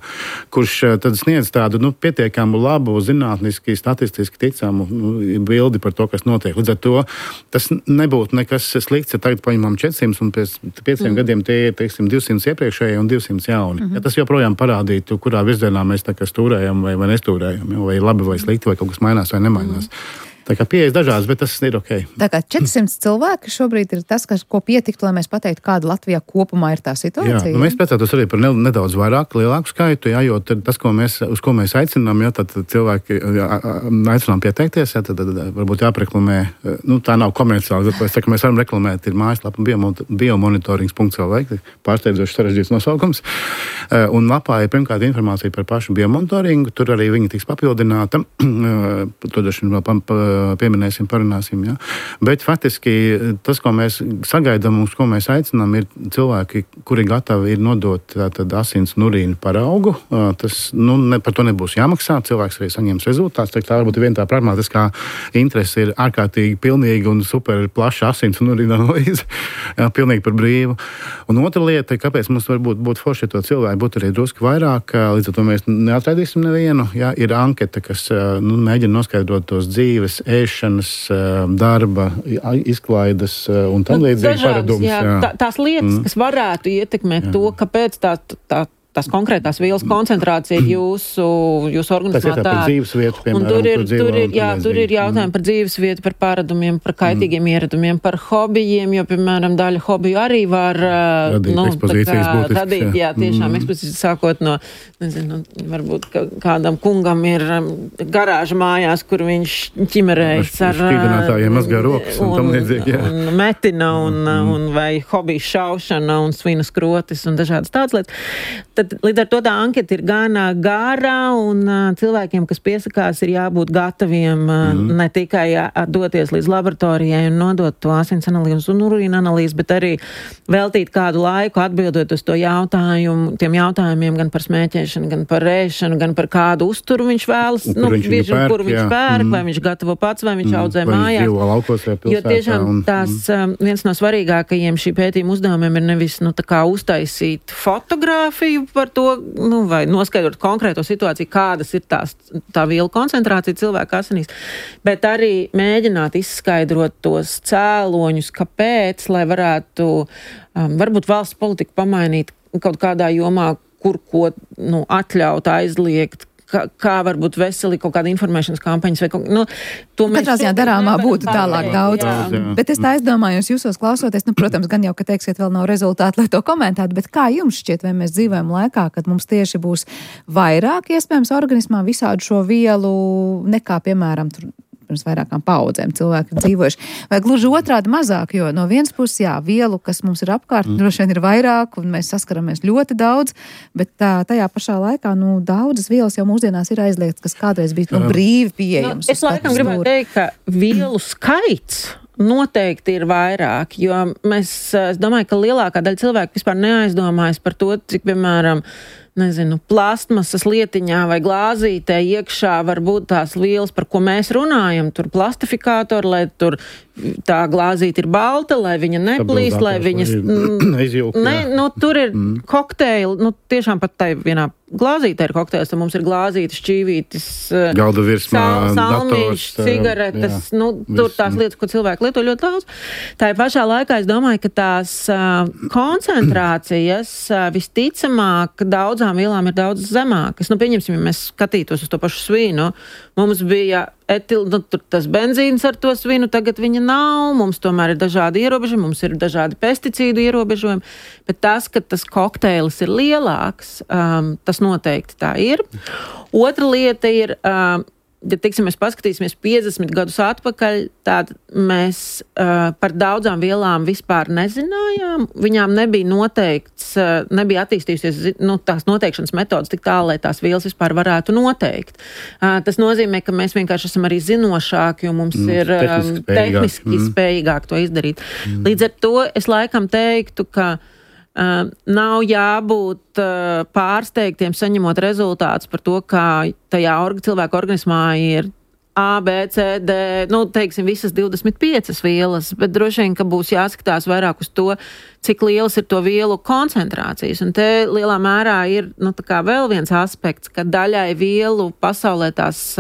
kurš tad sniedz tādu pietiekamu labu, zinātniski, statistiski ticamu bildi par to, kas notiek. Līdz ar to tas nebūtu nekas slikts, ja tagad paņemam 400 un pēc 5 gadiem tie ir, 200 iepriekšēji un 200 jauni. Ja tas joprojām parādītu, kurā virzienā mēs tā kā stūrējam vai nestūrējam, vai labi vai slikti, vai kaut kas mainās vai nemainās. Tā kā pieejas dažādas, bet tas ir ok. Tā kā 400 cilvēki šobrīd ir tas, ko pietiktu, lai mēs pateiktu, kāda Latvijā kopumā ir tā situācija. Jā, mēs priecātos arī par nedaudz lielāku skaitu, jo tas, uz ko mēs aicinām, tad cilvēki aicinām pieteikties, tad varbūt jāpreklamē, tā nav komerciāli, bet mēs varam reklamēt, ir mājaslapa biomonitorings.lv, pārsteidzoši sarežģīts nosaukums, un lapā ir pirmkārt informācija par pašu biomonitoringu, tur arī viņi tiks papildināta, to dažu vēl pieminēsim, parunāsim. Ja? Bet faktiski tas, ko mēs sagaidām, uz ko mēs aicinām, ir cilvēki, kuri gatavi ir nodot asins un urīnu paraugu. Tas, par to nebūs jāmaksā, cilvēks arī saņems rezultāts. Tā varbūt viena tā pragmatiskā interese ir ārkārtīgi pilnīga un super plaša asins un urīna analīze. Pilnīgi par brīvu. Un otra lieta, kāpēc mums varbūt būtu forši, ja to cilvēku būtu arī drusku vairāk, līdz ar to mēs neatradīsim nevienu. Ja? Ir anketa, kas mēģina noskaidrot tos dzīves, ēšanas, darba, izklaides un tam līdzīgi paradums. Tās lietas, kas varētu ietekmēt to, kāpēc tās konkrētās vielas koncentrācija ir jūsu organismā tāda. Par dzīvesvietu, piemēram, tur ir jautājumi par dzīvesvietu, par paradumiem, par kaitīgiem ieradumiem, par hobijiem, jo, piemēram, daļa hobiju arī var radīt, tiešām ekspozīcijas sākot no, varbūt kādam kungam ir garāža mājās, kur viņš ķimerējas ar šķīdinātājiem mazgā rokas un tam līdzīgi, un metina un vai hobiju šaušana un svinas krotis un dažādas tādas lietas. Līdz ar to tā anketa ir gan gārā, un cilvēkiem, kas piesakās, ir jābūt gataviem ne tikai doties līdz laboratorijai un nodot to asins analīzi un urīna analīzi, bet arī veltīt kādu laiku atbildot uz to tiem jautājumiem gan par smēķēšanu, gan par ēšanu, gan par kādu uzturu viņš vēlas, kur viņš pērk, vai viņš gatavo pats, vai viņš audzē mājās. Jo tiešām viens no svarīgākajiem šī pētījuma uzdevumiem ir nevis uztaisīt fotogrāfiju par to, vai noskaidrot konkrēto situāciju, kādas ir tā vielu koncentrācija cilvēka asinīs, bet arī mēģināt izskaidrot tos cēloņus, kāpēc, lai varētu varbūt valsts politiku pamainīt kaut kādā jomā, kur ko atļaut, aizliegt, kā varbūt veseli kaut kāda informēšanas kampaņas vai kaut to mēs... Katrā ziņā darāmā būtu tālāk daudz. Bet es tā aizdomājos, jūsos klausoties, protams, gan jau, ka teiksiet, vēl nav rezultāti, lai to komentētu, bet kā jums šķiet, vai mēs dzīvojam laikā, kad mums tieši būs vairāk iespējams organismā visādu šo vielu nekā, piemēram, pirms vairākām paudzēm cilvēki dzīvojuši. Vai gluži otrādi mazāk, jo no vienas puses, vielu, kas mums ir apkārt, droši vien ir vairāk, un mēs saskaramies ļoti daudz, bet tajā pašā laikā, daudzas vielas jau mūsdienās ir aizliegtas, kas kādreiz bija brīvi pieejams. Es laikam gribētu teikt, ka vielu skaits noteikti ir vairāk, jo es domāju, ka lielākā daļa cilvēku vispār neaizdomājas par to, cik, piemēram, nezinu, plastmasas lietiņā vai glāzītē iekšā var būt tās vielas, par ko mēs runājam, tur plastifikātori, lai tur tā glāzīte ir balta, lai viņa neplīst, lai viņas izjūk. Tur ir kokteili, tiešām pat tai vienā glāzītē ir kokteils, tad mums ir glāzītes, šķīvītes, galda virsmā, salmīši, cigaretes, tur tās lietas, ko cilvēki lieto ļoti daudz. Tā pašā laikā es domāju, ka tās koncentrācijas visticamāk daudzām vielām ir daudz zemākas. Pieņemsim, ja mēs skatītos uz to pašu svinu, mums bija tas benzīns ar to svinu, tagad viņa nav, mums tomēr ir dažādi ierobežojumi, mums ir dažādi pesticīdu ierobežojumi, bet tas, ka tas kokteilis ir lielāks, tas noteikti tā ir. Otra lieta ir, ja teiksim, mēs paskatīsimies 50 gadus atpakaļ, tad mēs par daudzām vielām vispār nezinājām. Viņām nebija noteikts, nebija attīstījusies tās noteikšanas metodas tik tālu, lai tās vielas vispār varētu noteikt. Tas nozīmē, ka mēs vienkārši esam arī zinošāki, jo mums ir tehniski spējīgāk to izdarīt. Līdz ar to es laikam teiktu, ka nav jābūt pārsteigtiem saņemot rezultātus par to, kā tajā cilvēka organismā ir A, B, C, D, teiksim, visas 25 vielas, bet droši vien, ka būs jāskatās vairāk uz to, cik lielas ir to vielu koncentrācijas. Un te lielā mērā ir, tā kā vēl viens aspekts, ka daļai vielu pasaulē tās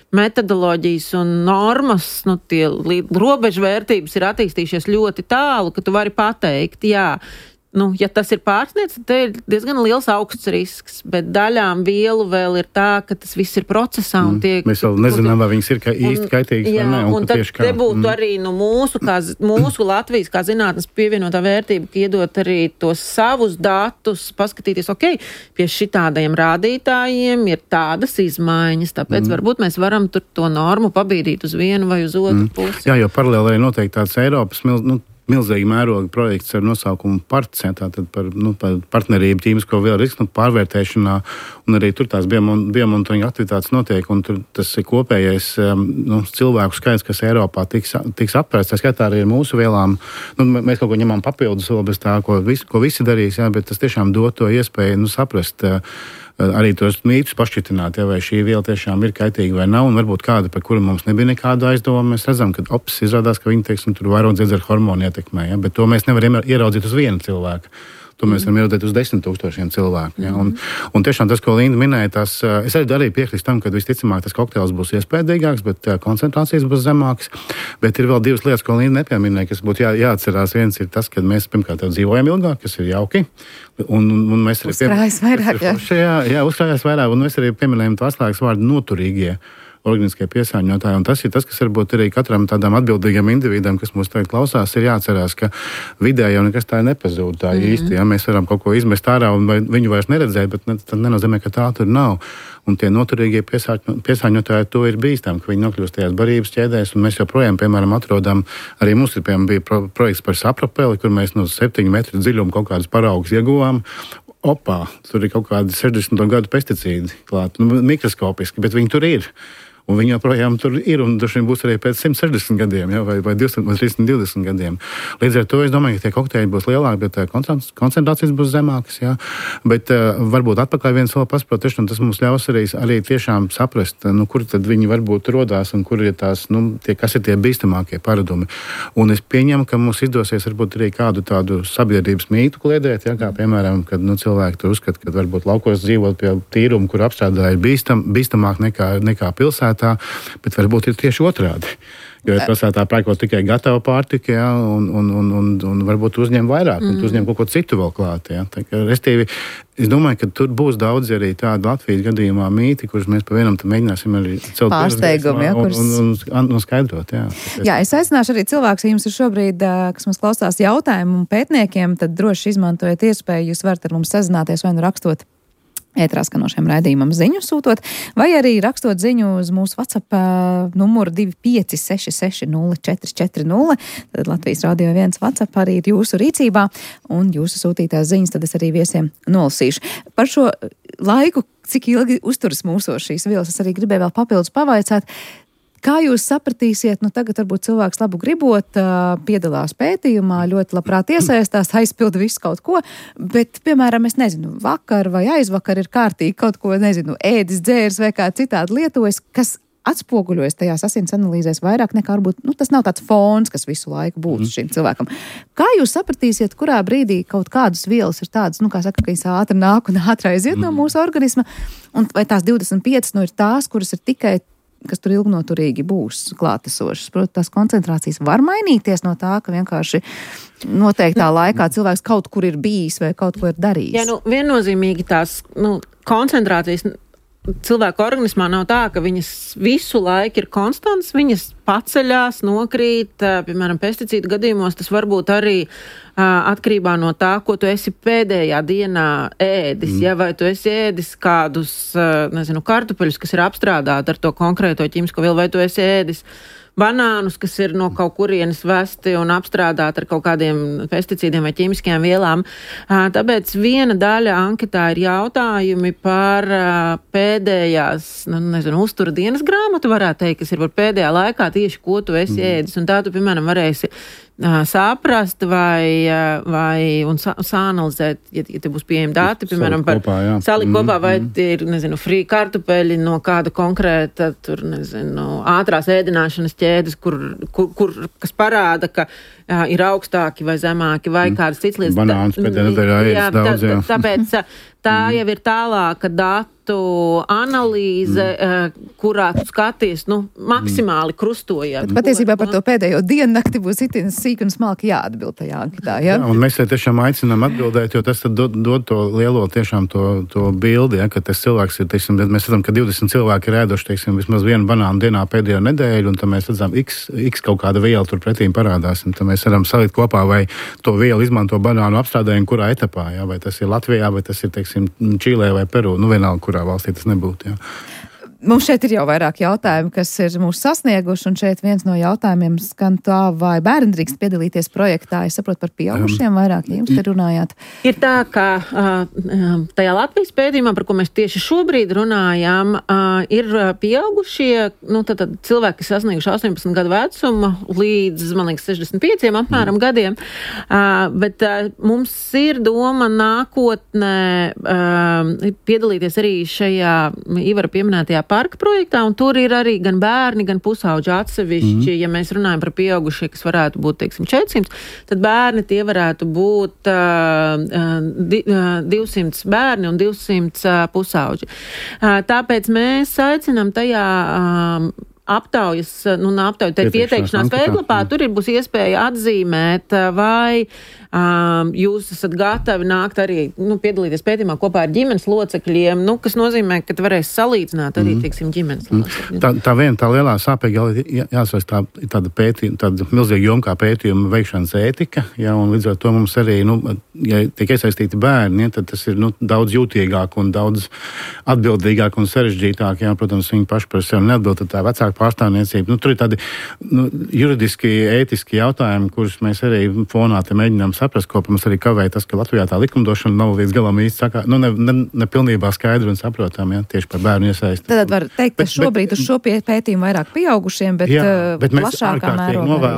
metodoloģijas un normas, tie robežvērtības ir attīstījušies ļoti tālu, ka tu vari pateikt, jā, ja tas ir pārsniedz, tad te ir diezgan liels augsts risks, bet daļām vielu vēl ir tā, ka tas viss ir procesā un tiek... Mēs vēl nezinām, vai viņas ir īsti kaitīgas vai ne. Un tad te būtu arī mūsu Latvijas kā zinātnes pievienotā vērtība, ka iedot arī tos savus datus, paskatīties, pie šitādajiem rādītājiem ir tādas izmaiņas, tāpēc varbūt mēs varam tur to normu pabīdīt uz vienu vai uz otru pusi. Jā, jo paralēli arī noteikti tāds Eiropas milzīgi mēroga projekts ar nosaukumu PARTS, tātad par partnerību tīmisko vielu risku pārvērtēšanā, un arī tur tās biomonitoringa aktivitātes notiek, un tur tas ir kopējais cilvēku skaits, kas Eiropā tiks apvērsts. Tā skaitā arī ar mūsu vielām. Mēs kaut ko ņemam papildus vēl bez tā, ko visi darīs, bet tas tiešām dod to iespēju saprast arī tos mītus pašķitināt, vai šī viela tiešām ir kaitīga vai nav, un varbūt kāda, par kuru mums nebija nekāda aizdoma. Mēs redzam, ka izrādās, ka viņi, tur vairogdziedzera hormoni ietekmē, bet to mēs nevaram ieraudzīt uz vienu cilvēku. To mēs varam ieraudzīt uz 10 000 cilvēku. Un tiešām tas, ko Linda minēja, es arī piekrīstu tam, ka visticamāk tas kokteils būs iespējīgāks, bet koncentrācijas būs zemākas. Bet ir vēl divas lietas, ko Linda nepieminēja, kas būtu jāatcerās. Viens ir tas, ka mēs pirmkārt dzīvojam ilgāk, kas ir jauki. Un mēs arī uzkrājas vairāk. Uzkrājas vairāk, un mēs arī pieminējam to atslēgas vārdu noturīgie organiskie piesārņotāji. Un tas ir tas, kas varbūt arī katram tādam atbildīgam individam, kas mūs tagad klausās, ir jāatcerās, ka vidē jau nekas tā nepazūd tā īsti. Ja? Mēs varam kaut ko izmest ārā un viņu vairs neredzēt, bet tas nenozīmē, ka tā tur nav. Un tie noturīgie piesārņotāji to ir bīstami, ka viņi nokļūst tajās barības ķēdēs, un mēs joprojām, piemēram, atrodam, arī mums ir, piemēram, bija projekts par sapropeli, kur mēs no 7 metru dziļumu kaut kādus paraugus ieguvām. Tur ir kaut kādi 60. gadu pesticīdi klāt, mikroskopiski, bet viņi tur ir. Un viņi joprojām tur ir, un droši vien būs arī pēc 160 gadiem, vai 200 vai 320 gadiem. Līdz ar to es domāju, ka tie kokteļi būs lielāki, bet koncentrācijas būs zemākas. Jā. Bet varbūt atpakaļ viens vēl pasprotiešana, tas mums ļaus arī tiešām saprast, kur tad viņi varbūt rodās un kur ir tās, kas ir tie bīstamākie paradumi. Un es pieņemu, ka mums izdosies varbūt arī kādu tādu sabiedrības mītu kliedēt, jā, kā piemēram, kad cilvēki tur uzskata, ka varbūt laukos dzīvot pie tīruma, kur apstrādāja bīstamāk nekā pilsētā. Bet varbūt ir tieši otrādi. Jo pilsētā pērkot tikai gatavu pārtiku, ja, un varbūt uzņem vairāk, un uzņem kaut ko citu vēl klāt. Ja. Restīvi, es domāju, ka tur būs daudz arī tādu Latvijas gadījumā mīti, kurus mēs pa vienam mēģināsim arī celt pārsteigumu, ja, un skaidrot. Ja. Jā, es aicināšu arī cilvēks, ja jums ir šobrīd, kas mums klausās jautājumu un pētniekiem, tad droši izmantojiet iespēju, jūs varat ar mums sazināties vai rakstot ētrā skanošiem raidījumam ziņu sūtot, vai arī rakstot ziņu uz mūsu WhatsApp numuru 256604440. Tad Latvijas Radio 1 WhatsApp arī ir jūsu rīcībā, un jūsu sūtītās ziņas tad es arī viesiem nolasīšu. Par šo laiku, cik ilgi uzturas mūsos šīs vielas, es arī gribēju vēl papildus pavaicāt, Kā jūs sapratīsiet, tagad varbūt cilvēks labu gribot, piedalās pētījumā, ļoti labprāt iesaistās, aizpilda visu kaut ko, bet, piemēram, es nezinu, vakar vai aizvakar ir kārtīgi kaut ko, nezinu, ēdis, dzērs vai kā citādi lietojas, kas atspoguļojas tajās asins analīzēs vairāk nekā varbūt, tas nav tāds fons, kas visu laiku būtu šim cilvēkam. Kā jūs sapratīsiet, kurā brīdī kaut kādas vielas ir tādas, kā saka, ka viņas ātri nāk un ātri aiziet no mūsu organisma, un vai tās 25 ir tās, kuras ir tikai, kas tur ilgnoturīgi būs klātesošas. Protams, tās koncentrācijas var mainīties no tā, ka vienkārši noteiktā laikā cilvēks kaut kur ir bijis vai kaut ko ir darījis. Jā, viennozīmīgi tās koncentrācijas cilvēku organismā nav tā, ka viņas visu laiku ir konstants, viņas paceļās, nokrīt, piemēram, pesticīdu gadījumos, tas varbūt arī atkarībā no tā, ko tu esi pēdējā dienā ēdis, vai tu esi ēdis kādus, kartupeļus, kas ir apstrādāti ar to konkrēto ķīmisko vielu, vai tu esi ēdis banānus, kas ir no kaut kurienes vesti un apstrādāti ar kaut kādiem pesticīdiem vai ķīmiskajām vielām. Tāpēc viena daļa anketā ir jautājumi par pēdējās, uztura dienas grāmatu, varētu teikt, kas ir par pēdējā laikā tieši, ko tu esi ēdis. Un tā tu, piemēram, varēsi saprast un sāanalizēt, ja te būs pieejami dati, piemēram, par salikt kopā, vai ir, frī kartupeļi no kāda konkrēta, ātrās ēdināšanas ķēdes, kas parāda, ka ir augstāki vai zemāki, vai kādas cits lietas. Banāns pēdējā nedēļā ēdis daudz, jā. Tāpēc tā jau ir tālāka datu analīze, kurā tu skaties, maksimāli krustojot. Patiesībā par to pēdējo diennakti būs itin sīk un smalki jāatbild tajā anketā, ja? Jā, un mēs tiešām aicinām atbildēt, jo tas tad dod to lielo tiešām to bildi, ka tas cilvēks ir, mēs redzam, ka 20 cilvēki ir ēduši, vismaz vienu banānu dienā pēdējo nedēļu, un tad mēs redzam, x kaut kāda viela tur pretīm parādās, un tad mēs varam salikt kopā, vai to vielu izmanto banānu apstrādējumu, kurā etapā, jā, vai tas ir Latvijā, vai tas ir, Čīlē vai Peru, vienalga, kurā valstī tas nebūtu, jā. Mums šeit ir jau vairāk jautājumu, kas ir mūs sasnieguši, un šeit viens no jautājumiem skan tā, vai bērni drīkst piedalīties projektā. Es saprotu par pieaugušiem vairāk, ja jums te runājāt. Ir tā, ka tajā Latvijas pētījumā, par ko mēs tieši šobrīd runājām, ir pieaugušie, tad cilvēki, kas sasnieguši 18 gadu vecumu līdz, man liekas, 65 apmēram gadiem, bet mums ir doma nākotnē piedalīties arī šajā Ivara pieminētajā parka projektā, un tur ir arī gan bērni, gan pusauģi atsevišķi. Ja mēs runājam par pieaugušie, kas varētu būt, 400, tad bērni tie varētu būt 200 bērni un 200 pusauģi. Tāpēc mēs aicinām tajā aptaujas, pieteikšanās veidlapā, tur būs iespēja atzīmēt, vai jūs esat gatavi nākt arī, piedalīties pētījumā kopā ar ģimenes locekļiem, kas nozīmē, ka varēs salīdzināt arī, ģimenes locekļiem. Tā lielā sāpīga jāsaka tāda milzīga joma kā pētījuma veikšanas ētika, ja, un līdz ar to mums arī, ja tiek iesaistīti bērni, tad tas ir, daudz jūtīgāk un daudz atbildīgāk un sarežģītāk, ja, protams, viņi paši par sevi neatbild, tad tā vecāka pārstāvniecība. Tur ir tādi juridiski, ētiski jautājumi, kurus mēs arī fonā te mēģinām saprast, ko mums arī kavēja tas, ka Latvijā tā likumdošana nav līdz galam īsti ne pilnībā skaidra un saprotam, ja, tieši par bērnu iesaisti. Tad var teikt, ka šobrīd uz šo pētījumu vairāk pieaugušiem, bet plašākā mērogā.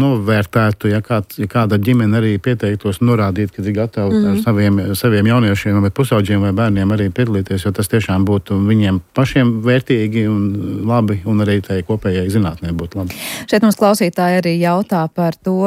Novērtētu, ja kāda ģimene arī pieteiktos norādīt, ka ir gatavi ar saviem jauniešiem vai pusauģiem vai bērniem arī piedalīties, jo tas tiešām būtu viņiem pašiem vērtīgi un labi, un arī tai kopējai zinātnē būtu labi. Šeit mums klausītāji arī jautā par to,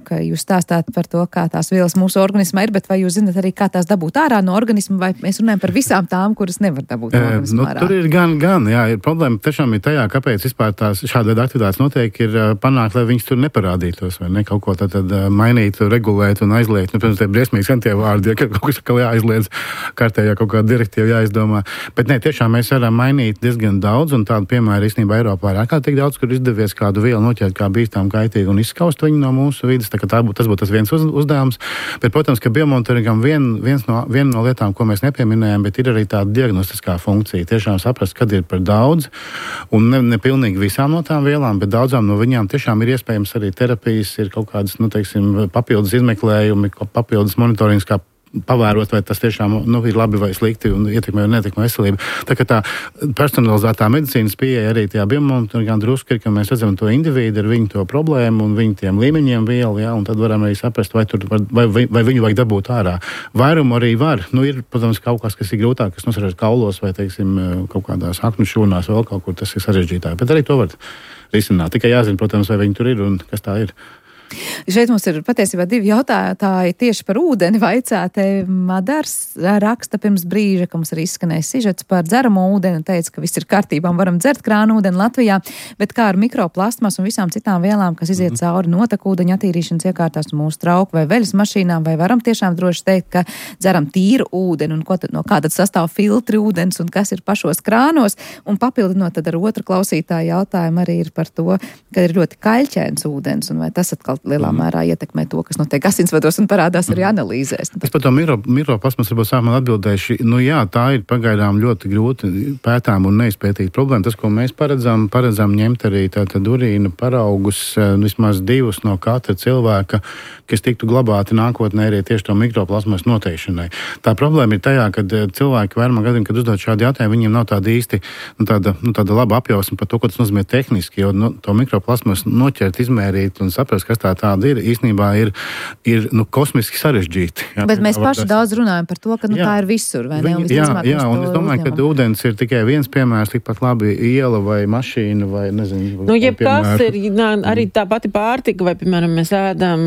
ka jūs stāstāt par to, kā tās vielas mūsu organismā ir, bet vai jūs zināt arī, kā tās dabūt ārā no organisma, vai mēs runājam par visām tām, kuras nevar dabūt no organisma ārā? Tur ir gan, jā, ir problēma tiešām ir tajā, kāpēc vispār tās šāda veida aktivitātes notiek, ir panākt, lai viņas tur neparādītos, vai ne, kaut ko tad mainīt, regulēt un aizliegt. Protams, tie briesmīgi skan tie vārdi, ja kaut kas jāaizliedz kārtējā kaut kāda direktīva jāizdomā. Bet ne, tiešām mēs varam mainīt diezgan daudz, un tādu piemēru īstenībā Eiropā ir ārkārtīgi daudz, kur izdevies kādu vielu noķert kā bīstam, kaitīgi un izskaust viņu no mūsu vidas. Tas būtu tas viens uzdevums. Bet, protams, ka biomonitoringam viena no lietām, ko mēs nepieminējam, bet ir arī tāda diagnostiskā funkcija. Tiešām saprast, kad ir par daudz, un ne pilnīgi visām no tām vielām, bet daudzām no viņām tiešām ir iespējams arī terapijas, ir kaut kādas, papildus izmeklējumi, papildus monitorings, kā pavērot, vai tas tiešām ir labi vai slikti un ietekmē vai neietekmē veselību. Tā kā tā personalizētā medicīnas pieeja arī tajā biomonitorā drusku ir, ka mēs redzam to individu ar viņu to problēmu un viņu tiem līmeņiem vielu, un tad varam arī saprast, vai viņu vajag dabūt ārā. Vairumu arī var. Ir, protams, kaut kas ir grūtāk, kas nosarās kaulos vai, teiksim, kaut kādās aknu šūnās, vēl kaut kur tas ir sarežģītāk. Bet arī to var risināt. Tikai jāzina, protams, vai viņi tur ir un kas tā ir. Šeit mums ir patiesībā 2 jautātāji tieši par ūdeni vaicāti. Madars raksta pirms brīža, ka mums arī izskanēja sižets par dzeramo ūdeni un teica, ka viss ir kārtībā un varam dzert krānu ūdeni Latvijā, bet kā ar mikroplastmas un visām citām vielām, kas iziet cauri notekūdeņa attīrīšanas iekārtās un mūsu trauku vai veļas mašīnām, vai varam tiešām droši teikt, ka dzeram tīru ūdeni un no kā tad sastāv filtri ūdens un kas ir pašos krānos, un papildinot tad ar otru klausītāju jautājumu arī ir par to, ka ir ļoti kaļķēns ūdens un vai tas atkal lielā mērā ietekmē to, kas notiek asinsvados un parādās arī analīzēs. Es par to mikroplasmas varbūt sākumā atbildēšu. Jā, tā ir pagaidām ļoti grūti pētām un neizpētīt problēma. Tas, ko mēs paredzam ņemt arī tātad urīna paraugus, vismaz 2 no katra cilvēka, kas tiktu glabāti nākotnē arī tieši to mikroplasmas noteikšanai. Tā problēma ir tajā, kad cilvēki vairumā gadiem, kad uzdod šādu jautājumu, viņiem nav tāda īsti tāda laba apjausma par to, ko tas nozīmē tehniski, jo to mikroplasmas noķert, izmērīt un saprast, kas tāda ir, īstenībā ir kosmiski sarežģīti. Jā. Bet mēs paši daudz runājam par to, ka tā ir visur, vai ne? Jā, un es domāju, ka ūdens ir tikai viens piemērs, tikpat labi iela vai mašīna vai nezinu. Jebkas ir, arī tā pati pārtika, vai, piemēram, mēs ēdam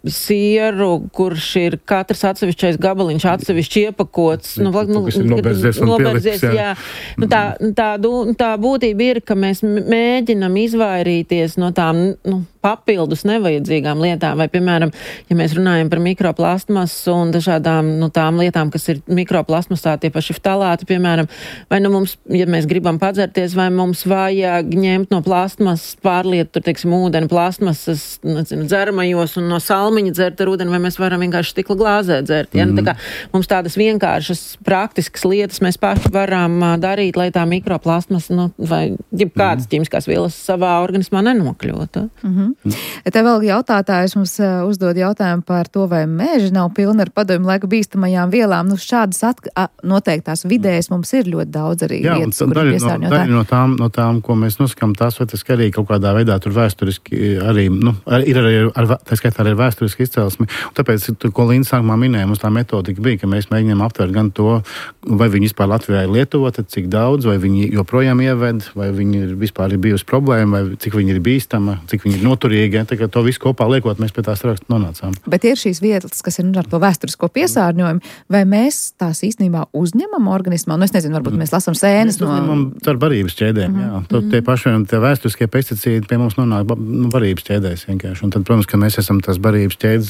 sieru, kurš ir katrs atsevišķais gabaliņš atsevišķi iepakots. Noberzies, jā. Tā būtība ir, ka mēs mēģinam izvairīties no tām papildus nevajadzīgām lietām, vai, piemēram, ja mēs runājam par mikroplastmasu un dažādām tām lietām, kas ir mikroplasmasā, tie paši ftalāti, piemēram, vai mums, ja mēs gribam padzerties, vai mums vajag ņemt no plastmasas pārlietu, tur, teiksim, ūdeni plastmasas, dzeramajos un no salmiņa dzert ar ūdeni, vai mēs varam vienkārši stikla glāzē dzert. Ja? Tā kā mums tādas vienkāršas, praktiskas lietas mēs paši varam darīt, lai tā mikroplastmasa, vai jebkādas ķīmiskās vielas savā organismā nenokļūtu. Te vēl jautātājs mums uzdod jautājumu par to, vai meži nav pilni ar padomju laika bīstamajām vielām. Šādas noteiktās vidējas mums ir ļoti daudz arī vietas, kur ir piesārņotāji. No tām, ko mēs nosakām, tās vai tas arī kaut kādā veidā tur vēsturiski arī, ir arī tā skaitā arī vēsturiski izcelsmi. Un tāpēc, ko Līna sākumā minēja, mums tā metodika bija, ka mēs mēģinām aptvert gan to, vai viņi vispār Latvijā ir lietota, cik daudz, vai viņi joprojām ieved, vai viņi vispār ir bijusi problēma, vai cik viņi ir bīstama, cik viņi ir noturīgi, ja, to visu kopā liekot, mēs pie tās rakstu nonācām. Bet ir šīs vietas, kas ir ar to vēsturisko piesārņojumu, vai mēs tās īstenībā uzņemam organismā? Es nezinu, varbūt mēs lasām sēnes no... Mēs uzņemam ar barības ķēdēm, jā. Tie paši vēsturiskie pesticīdi pie mums nonāk barības ķēdēs vienkārši. Un tad, protams, ka mēs esam tās barības ķēdes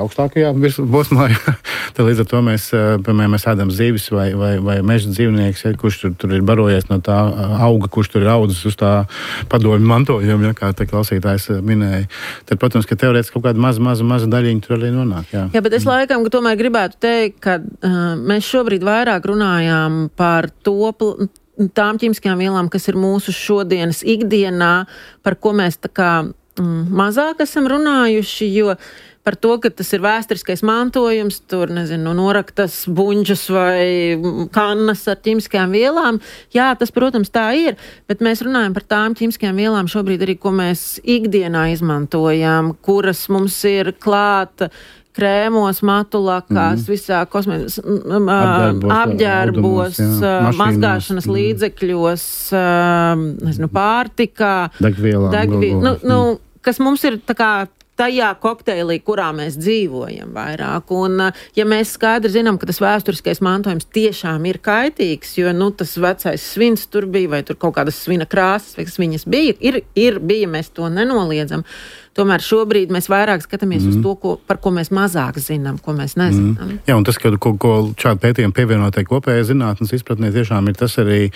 augstākajā posmā. Tad līdz ar to mēs, piemēram, mēs ēdam zivis vai meža dzīvnieks, ja, kurš tur ir barojies no tā auga, kurš tur ir audzis uz tā padomju mantojuma, ja, kā te klausītājs minēja. Tad, protams, ka teorētiski kaut kāda maza daļiņa tur arī nonāk. Jā, bet es laikam, ka tomēr gribētu teikt, ka mēs šobrīd vairāk runājām par tām ķīmiskajām vielām, kas ir mūsu šodienas ikdienā, par ko mēs tā kā mazāk esam runājuši, jo par to, ka tas ir vēsturiskais mantojums, tur, noraktas buņģas vai kannas ar ķīmiskajām vielām. Jā, tas, protams, tā ir, bet mēs runājam par tām ķīmiskajām vielām šobrīd arī, ko mēs ikdienā izmantojam, kuras mums ir klāta krēmos, matulakās, visā apģērbos, mazgāšanas līdzekļos, pārtikā, degvielā, kas mums ir tā kā tajā kokteilī, kurā mēs dzīvojam vairāk. Un, ja mēs skaidri zinām, ka tas vēsturiskais mantojums tiešām ir kaitīgs, jo, tas vecais svins tur bija, vai tur kaut kādas svina krāsas, vai kas viņas bija, bija, mēs to nenoliedzam. Tomēr šobrīd mēs vairāk skatāmies uz to, par ko mēs mazāk zinām, ko mēs nezinām. Jā, un tas, ko šādi pētījumi pievienotai kopējai zinātnes izpratnē, tiešām ir tas arī,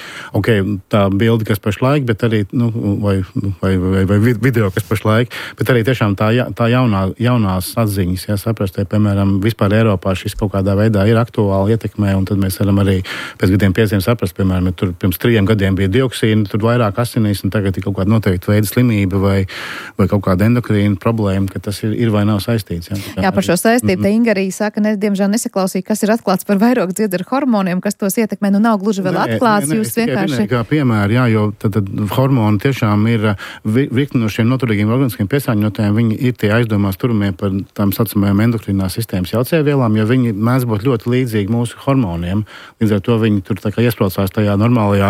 tā bilde, kas pašlaik, bet arī, vai video, kas pašlaik, bet arī tiešām tā jaunās atziņas, ja saprast, piemēram, vispār Eiropā šis kaut kādā veidā ir aktuāli ietekmē, un tad mēs varam arī pēc gadiem 5 saprast, piemēram, tur pirms 3 gadiem bija dioksīna, tur vairāk asinīs, un tagad ir kaut kāda noteikta veida slimība vai kaut kāda endokrīna endokrīna problēma, ka tas ir vai nav saistīts. Jā, par šo saistību te Inga arī saka, diemžēl nesaklausīja, kas ir atklāts par vairogdziedera hormoniem, kas tos ietekmē, nav gluži vēl atklāts. Jūs vienkārši... Kā piemēri, jā, jo tad hormoni tiešām ir virkni no šiem noturīgiem organiskiem piesārņotājiem, viņi ir tie aizdomās turamie par tām saucamajām endokrinās sistēmas jaucējvielām, jo viņi mēdz būt ļoti līdzīgi mūsu hormoniem. Līdz ar to viņi tur tā kā iespraucās tajā normālajā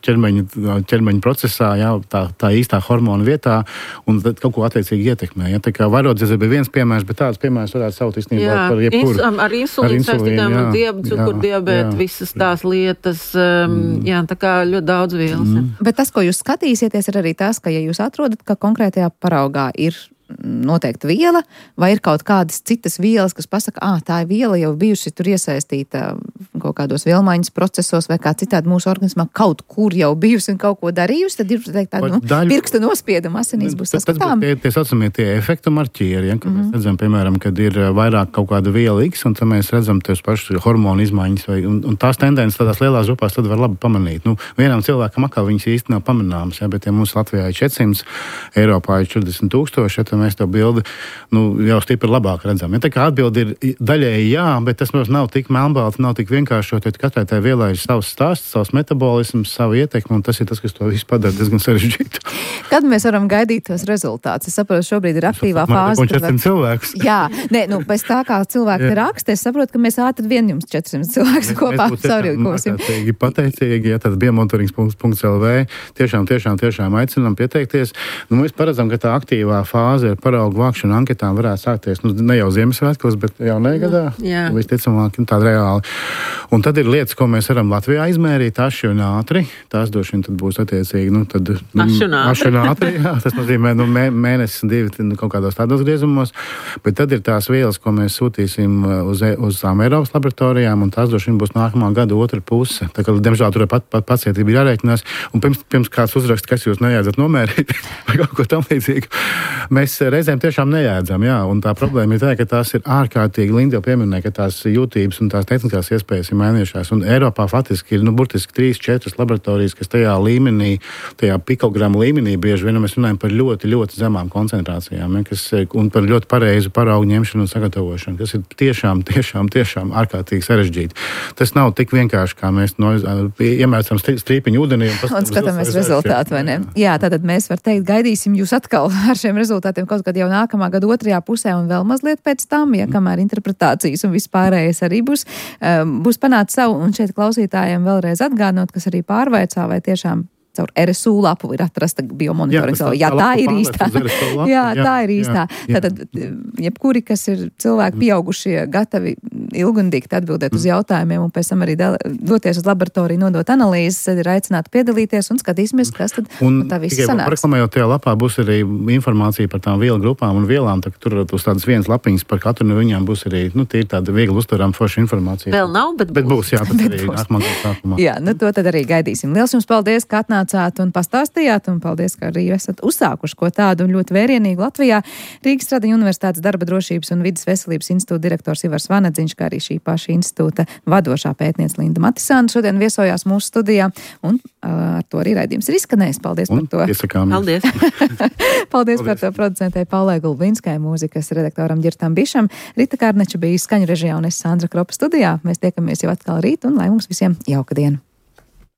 ķermeņa procesā, jā, tā īstā hormona vietā, un tad kaut ko attiecīgi ietekmē. Ja? Tā kā vairogdziedera bija viens piemērs, bet tāds piemērs varētu saukt īstenībā par jebkuru. Ar insulīnu saistītām un cukurdiabētu, visas tās lietas, tā kā ļoti daudz vielas. Bet tas, ko jūs skatīsieties, ir arī tas, ka ja jūs atrodat, ka konkrētajā paraugā ir noteikti viela, vai ir kaut kādas citas vielas, kas pasaka, tā viela jau bijusi tur iesaistīta kaut kādos vielmaiņas procesos vai kā citādi mūsu organismā kaut kur jau bijusi un kaut ko darījusi, tad ir tāda pirksta nospieduma asinīs būs saskatām. Tie saucamie tie efektu marķieri, ka mēs redzam, piemēram, kad ir vairāk kaut kāda viela X, un tad mēs redzam tos pašus hormonu izmaiņas, un tās tendences tādās lielās grupās tad var labi pamanīt. Vienam cilvēkam atkal viņas īsti nav pamanāmas, bet ja mums Latvijā ir 400, Eiropā ir 40,000, tad mēs to bildi jau stipri labāk redzam. Ja, tā kā atbildi ir daļēji jā, bet tas mums nav tik melnbalti, nav tik vienkāršot, jo katrai tai vielai ir savs stāsts, savs metabolisms, savu ietekmi, un tas ir tas, kas to visu padara diezgan sarežģītu. Kad mēs varam gaidīt tos rezultātus? Es saprotu, šobrīd ir aktīvā fāze. 400 cilvēkus. Jā, pēc tā kā cilvēki te raksta, es saprotu, ka mēs ātri vien jums 400 cilvēkus kopā savrīkosim. Mēs pateicīgi, tad biomonitoring.lv tiešām aicinām pieteikties. Mēs paredzam, ka tā aktīvā fāze ar paraugu vākšanu anketām varētu sākties, ne jau Ziemassvētkos, bet jaunajā gadā. Visticamāk, tāda reāli. Un tad ir lietas, ko mēs varam Latvijā izmērīt aši un ātri. Tās droši vien tad būs attiecīgi, aši un ātri. Jā, tas nozīmē, mēnesis un divi kaut kādos tādos griezumos. Bet tad ir tās vielas, ko mēs sūtīsim uz tām Eiropas laboratorijām, un tās droši vien būs nākamā gada otra puse. Tā kā, diemžēl, tur pacietība jāreikinās. Un pirms kāds uzraksta, kas jūs nejādzat nomērīt, vai kaut ko tam līdzīgu. Mēs reizēm tiešām nejādzam, jā, un tā problēma ir tā, ka tās ir ārkārtīgi, Linda jau pieminēja, ka tās jūtības un tās tehniskās iespējas ir mainījušās, un Eiropā faktiski ir, burtiski 3-4 laboratorijas, kas tajā līmenī, tajā pikogramu līmenī bieži vien mēs runājam par ļoti, ļoti zemām koncentrācijām, un par ļoti pareizu paraugu ņemšanu un sagatavošanu, kas ir tiešām ārkārtīgi sarežģīti. Tas nav tik vienkārši, kā mēs iemērcam strīpiņu ūdenī un skatāmies rezultātu, vai ne? Jā, tātad mēs var teikt, gaidīsim jūs atkal ar šiem rezultātiem kaut kad jau nākamā gada otrajā pusē un vēl mazliet pēc tam, kamēr interpretācijas un vispārējais arī būs panākt savu, un šeit klausītājiem vēlreiz atgādinot, kas arī pārvaicā, vai tiešām caur RSU lapu ir atrasta biomonitoringa. Jā, tā ir īstā. Jā, tā ir īstā. Tātad, jebkuri, kas ir cilvēki pieaugušie, gatavi ilgundīgi atbildēt uz jautājumiem un pēc tam arī doties uz laboratoriju, nodot analīzes, tad ir aicināti piedalīties un skatīsimies, kas tad tā viss sanāks. Reklamējot tajā lapā būs arī informācija par tām vielu grupām un vielām, tā, tur uz tādas vienas lapiņas par katru no viņām būs arī, tīri tāda viegli uztverama forša informācija. Vēl nav, bet būs. Jā, tad arī nākamā sākumā. Jā, to tad arī gaidīsim. Liels jums paldies, ka atnācāt un pastāstījāt, un paldies, ka arī esat uzsākuši ko tādu un ļoti vērienīgu Latvijā. Rīgas Stradiņu Universitātes darba drošības un vidas veselības institūta direktors Ivars Vanadziņš, kā arī šī paša institūta vadošā pētniece Linda Matisāna šodien viesojās mūsu studijā, un ar to arī raidījums ir izskanējis. Paldies par to. Paldies. Paldies par to producentei Paulai Gulbinskai, mūzikas redaktoram Ģirtam Bišam. Rita Kārneča bija skaņu režijā un es Sandra Kropa studijā. Mēs tiekamies jau atkal rīt, un lai mums visiem jauka diena.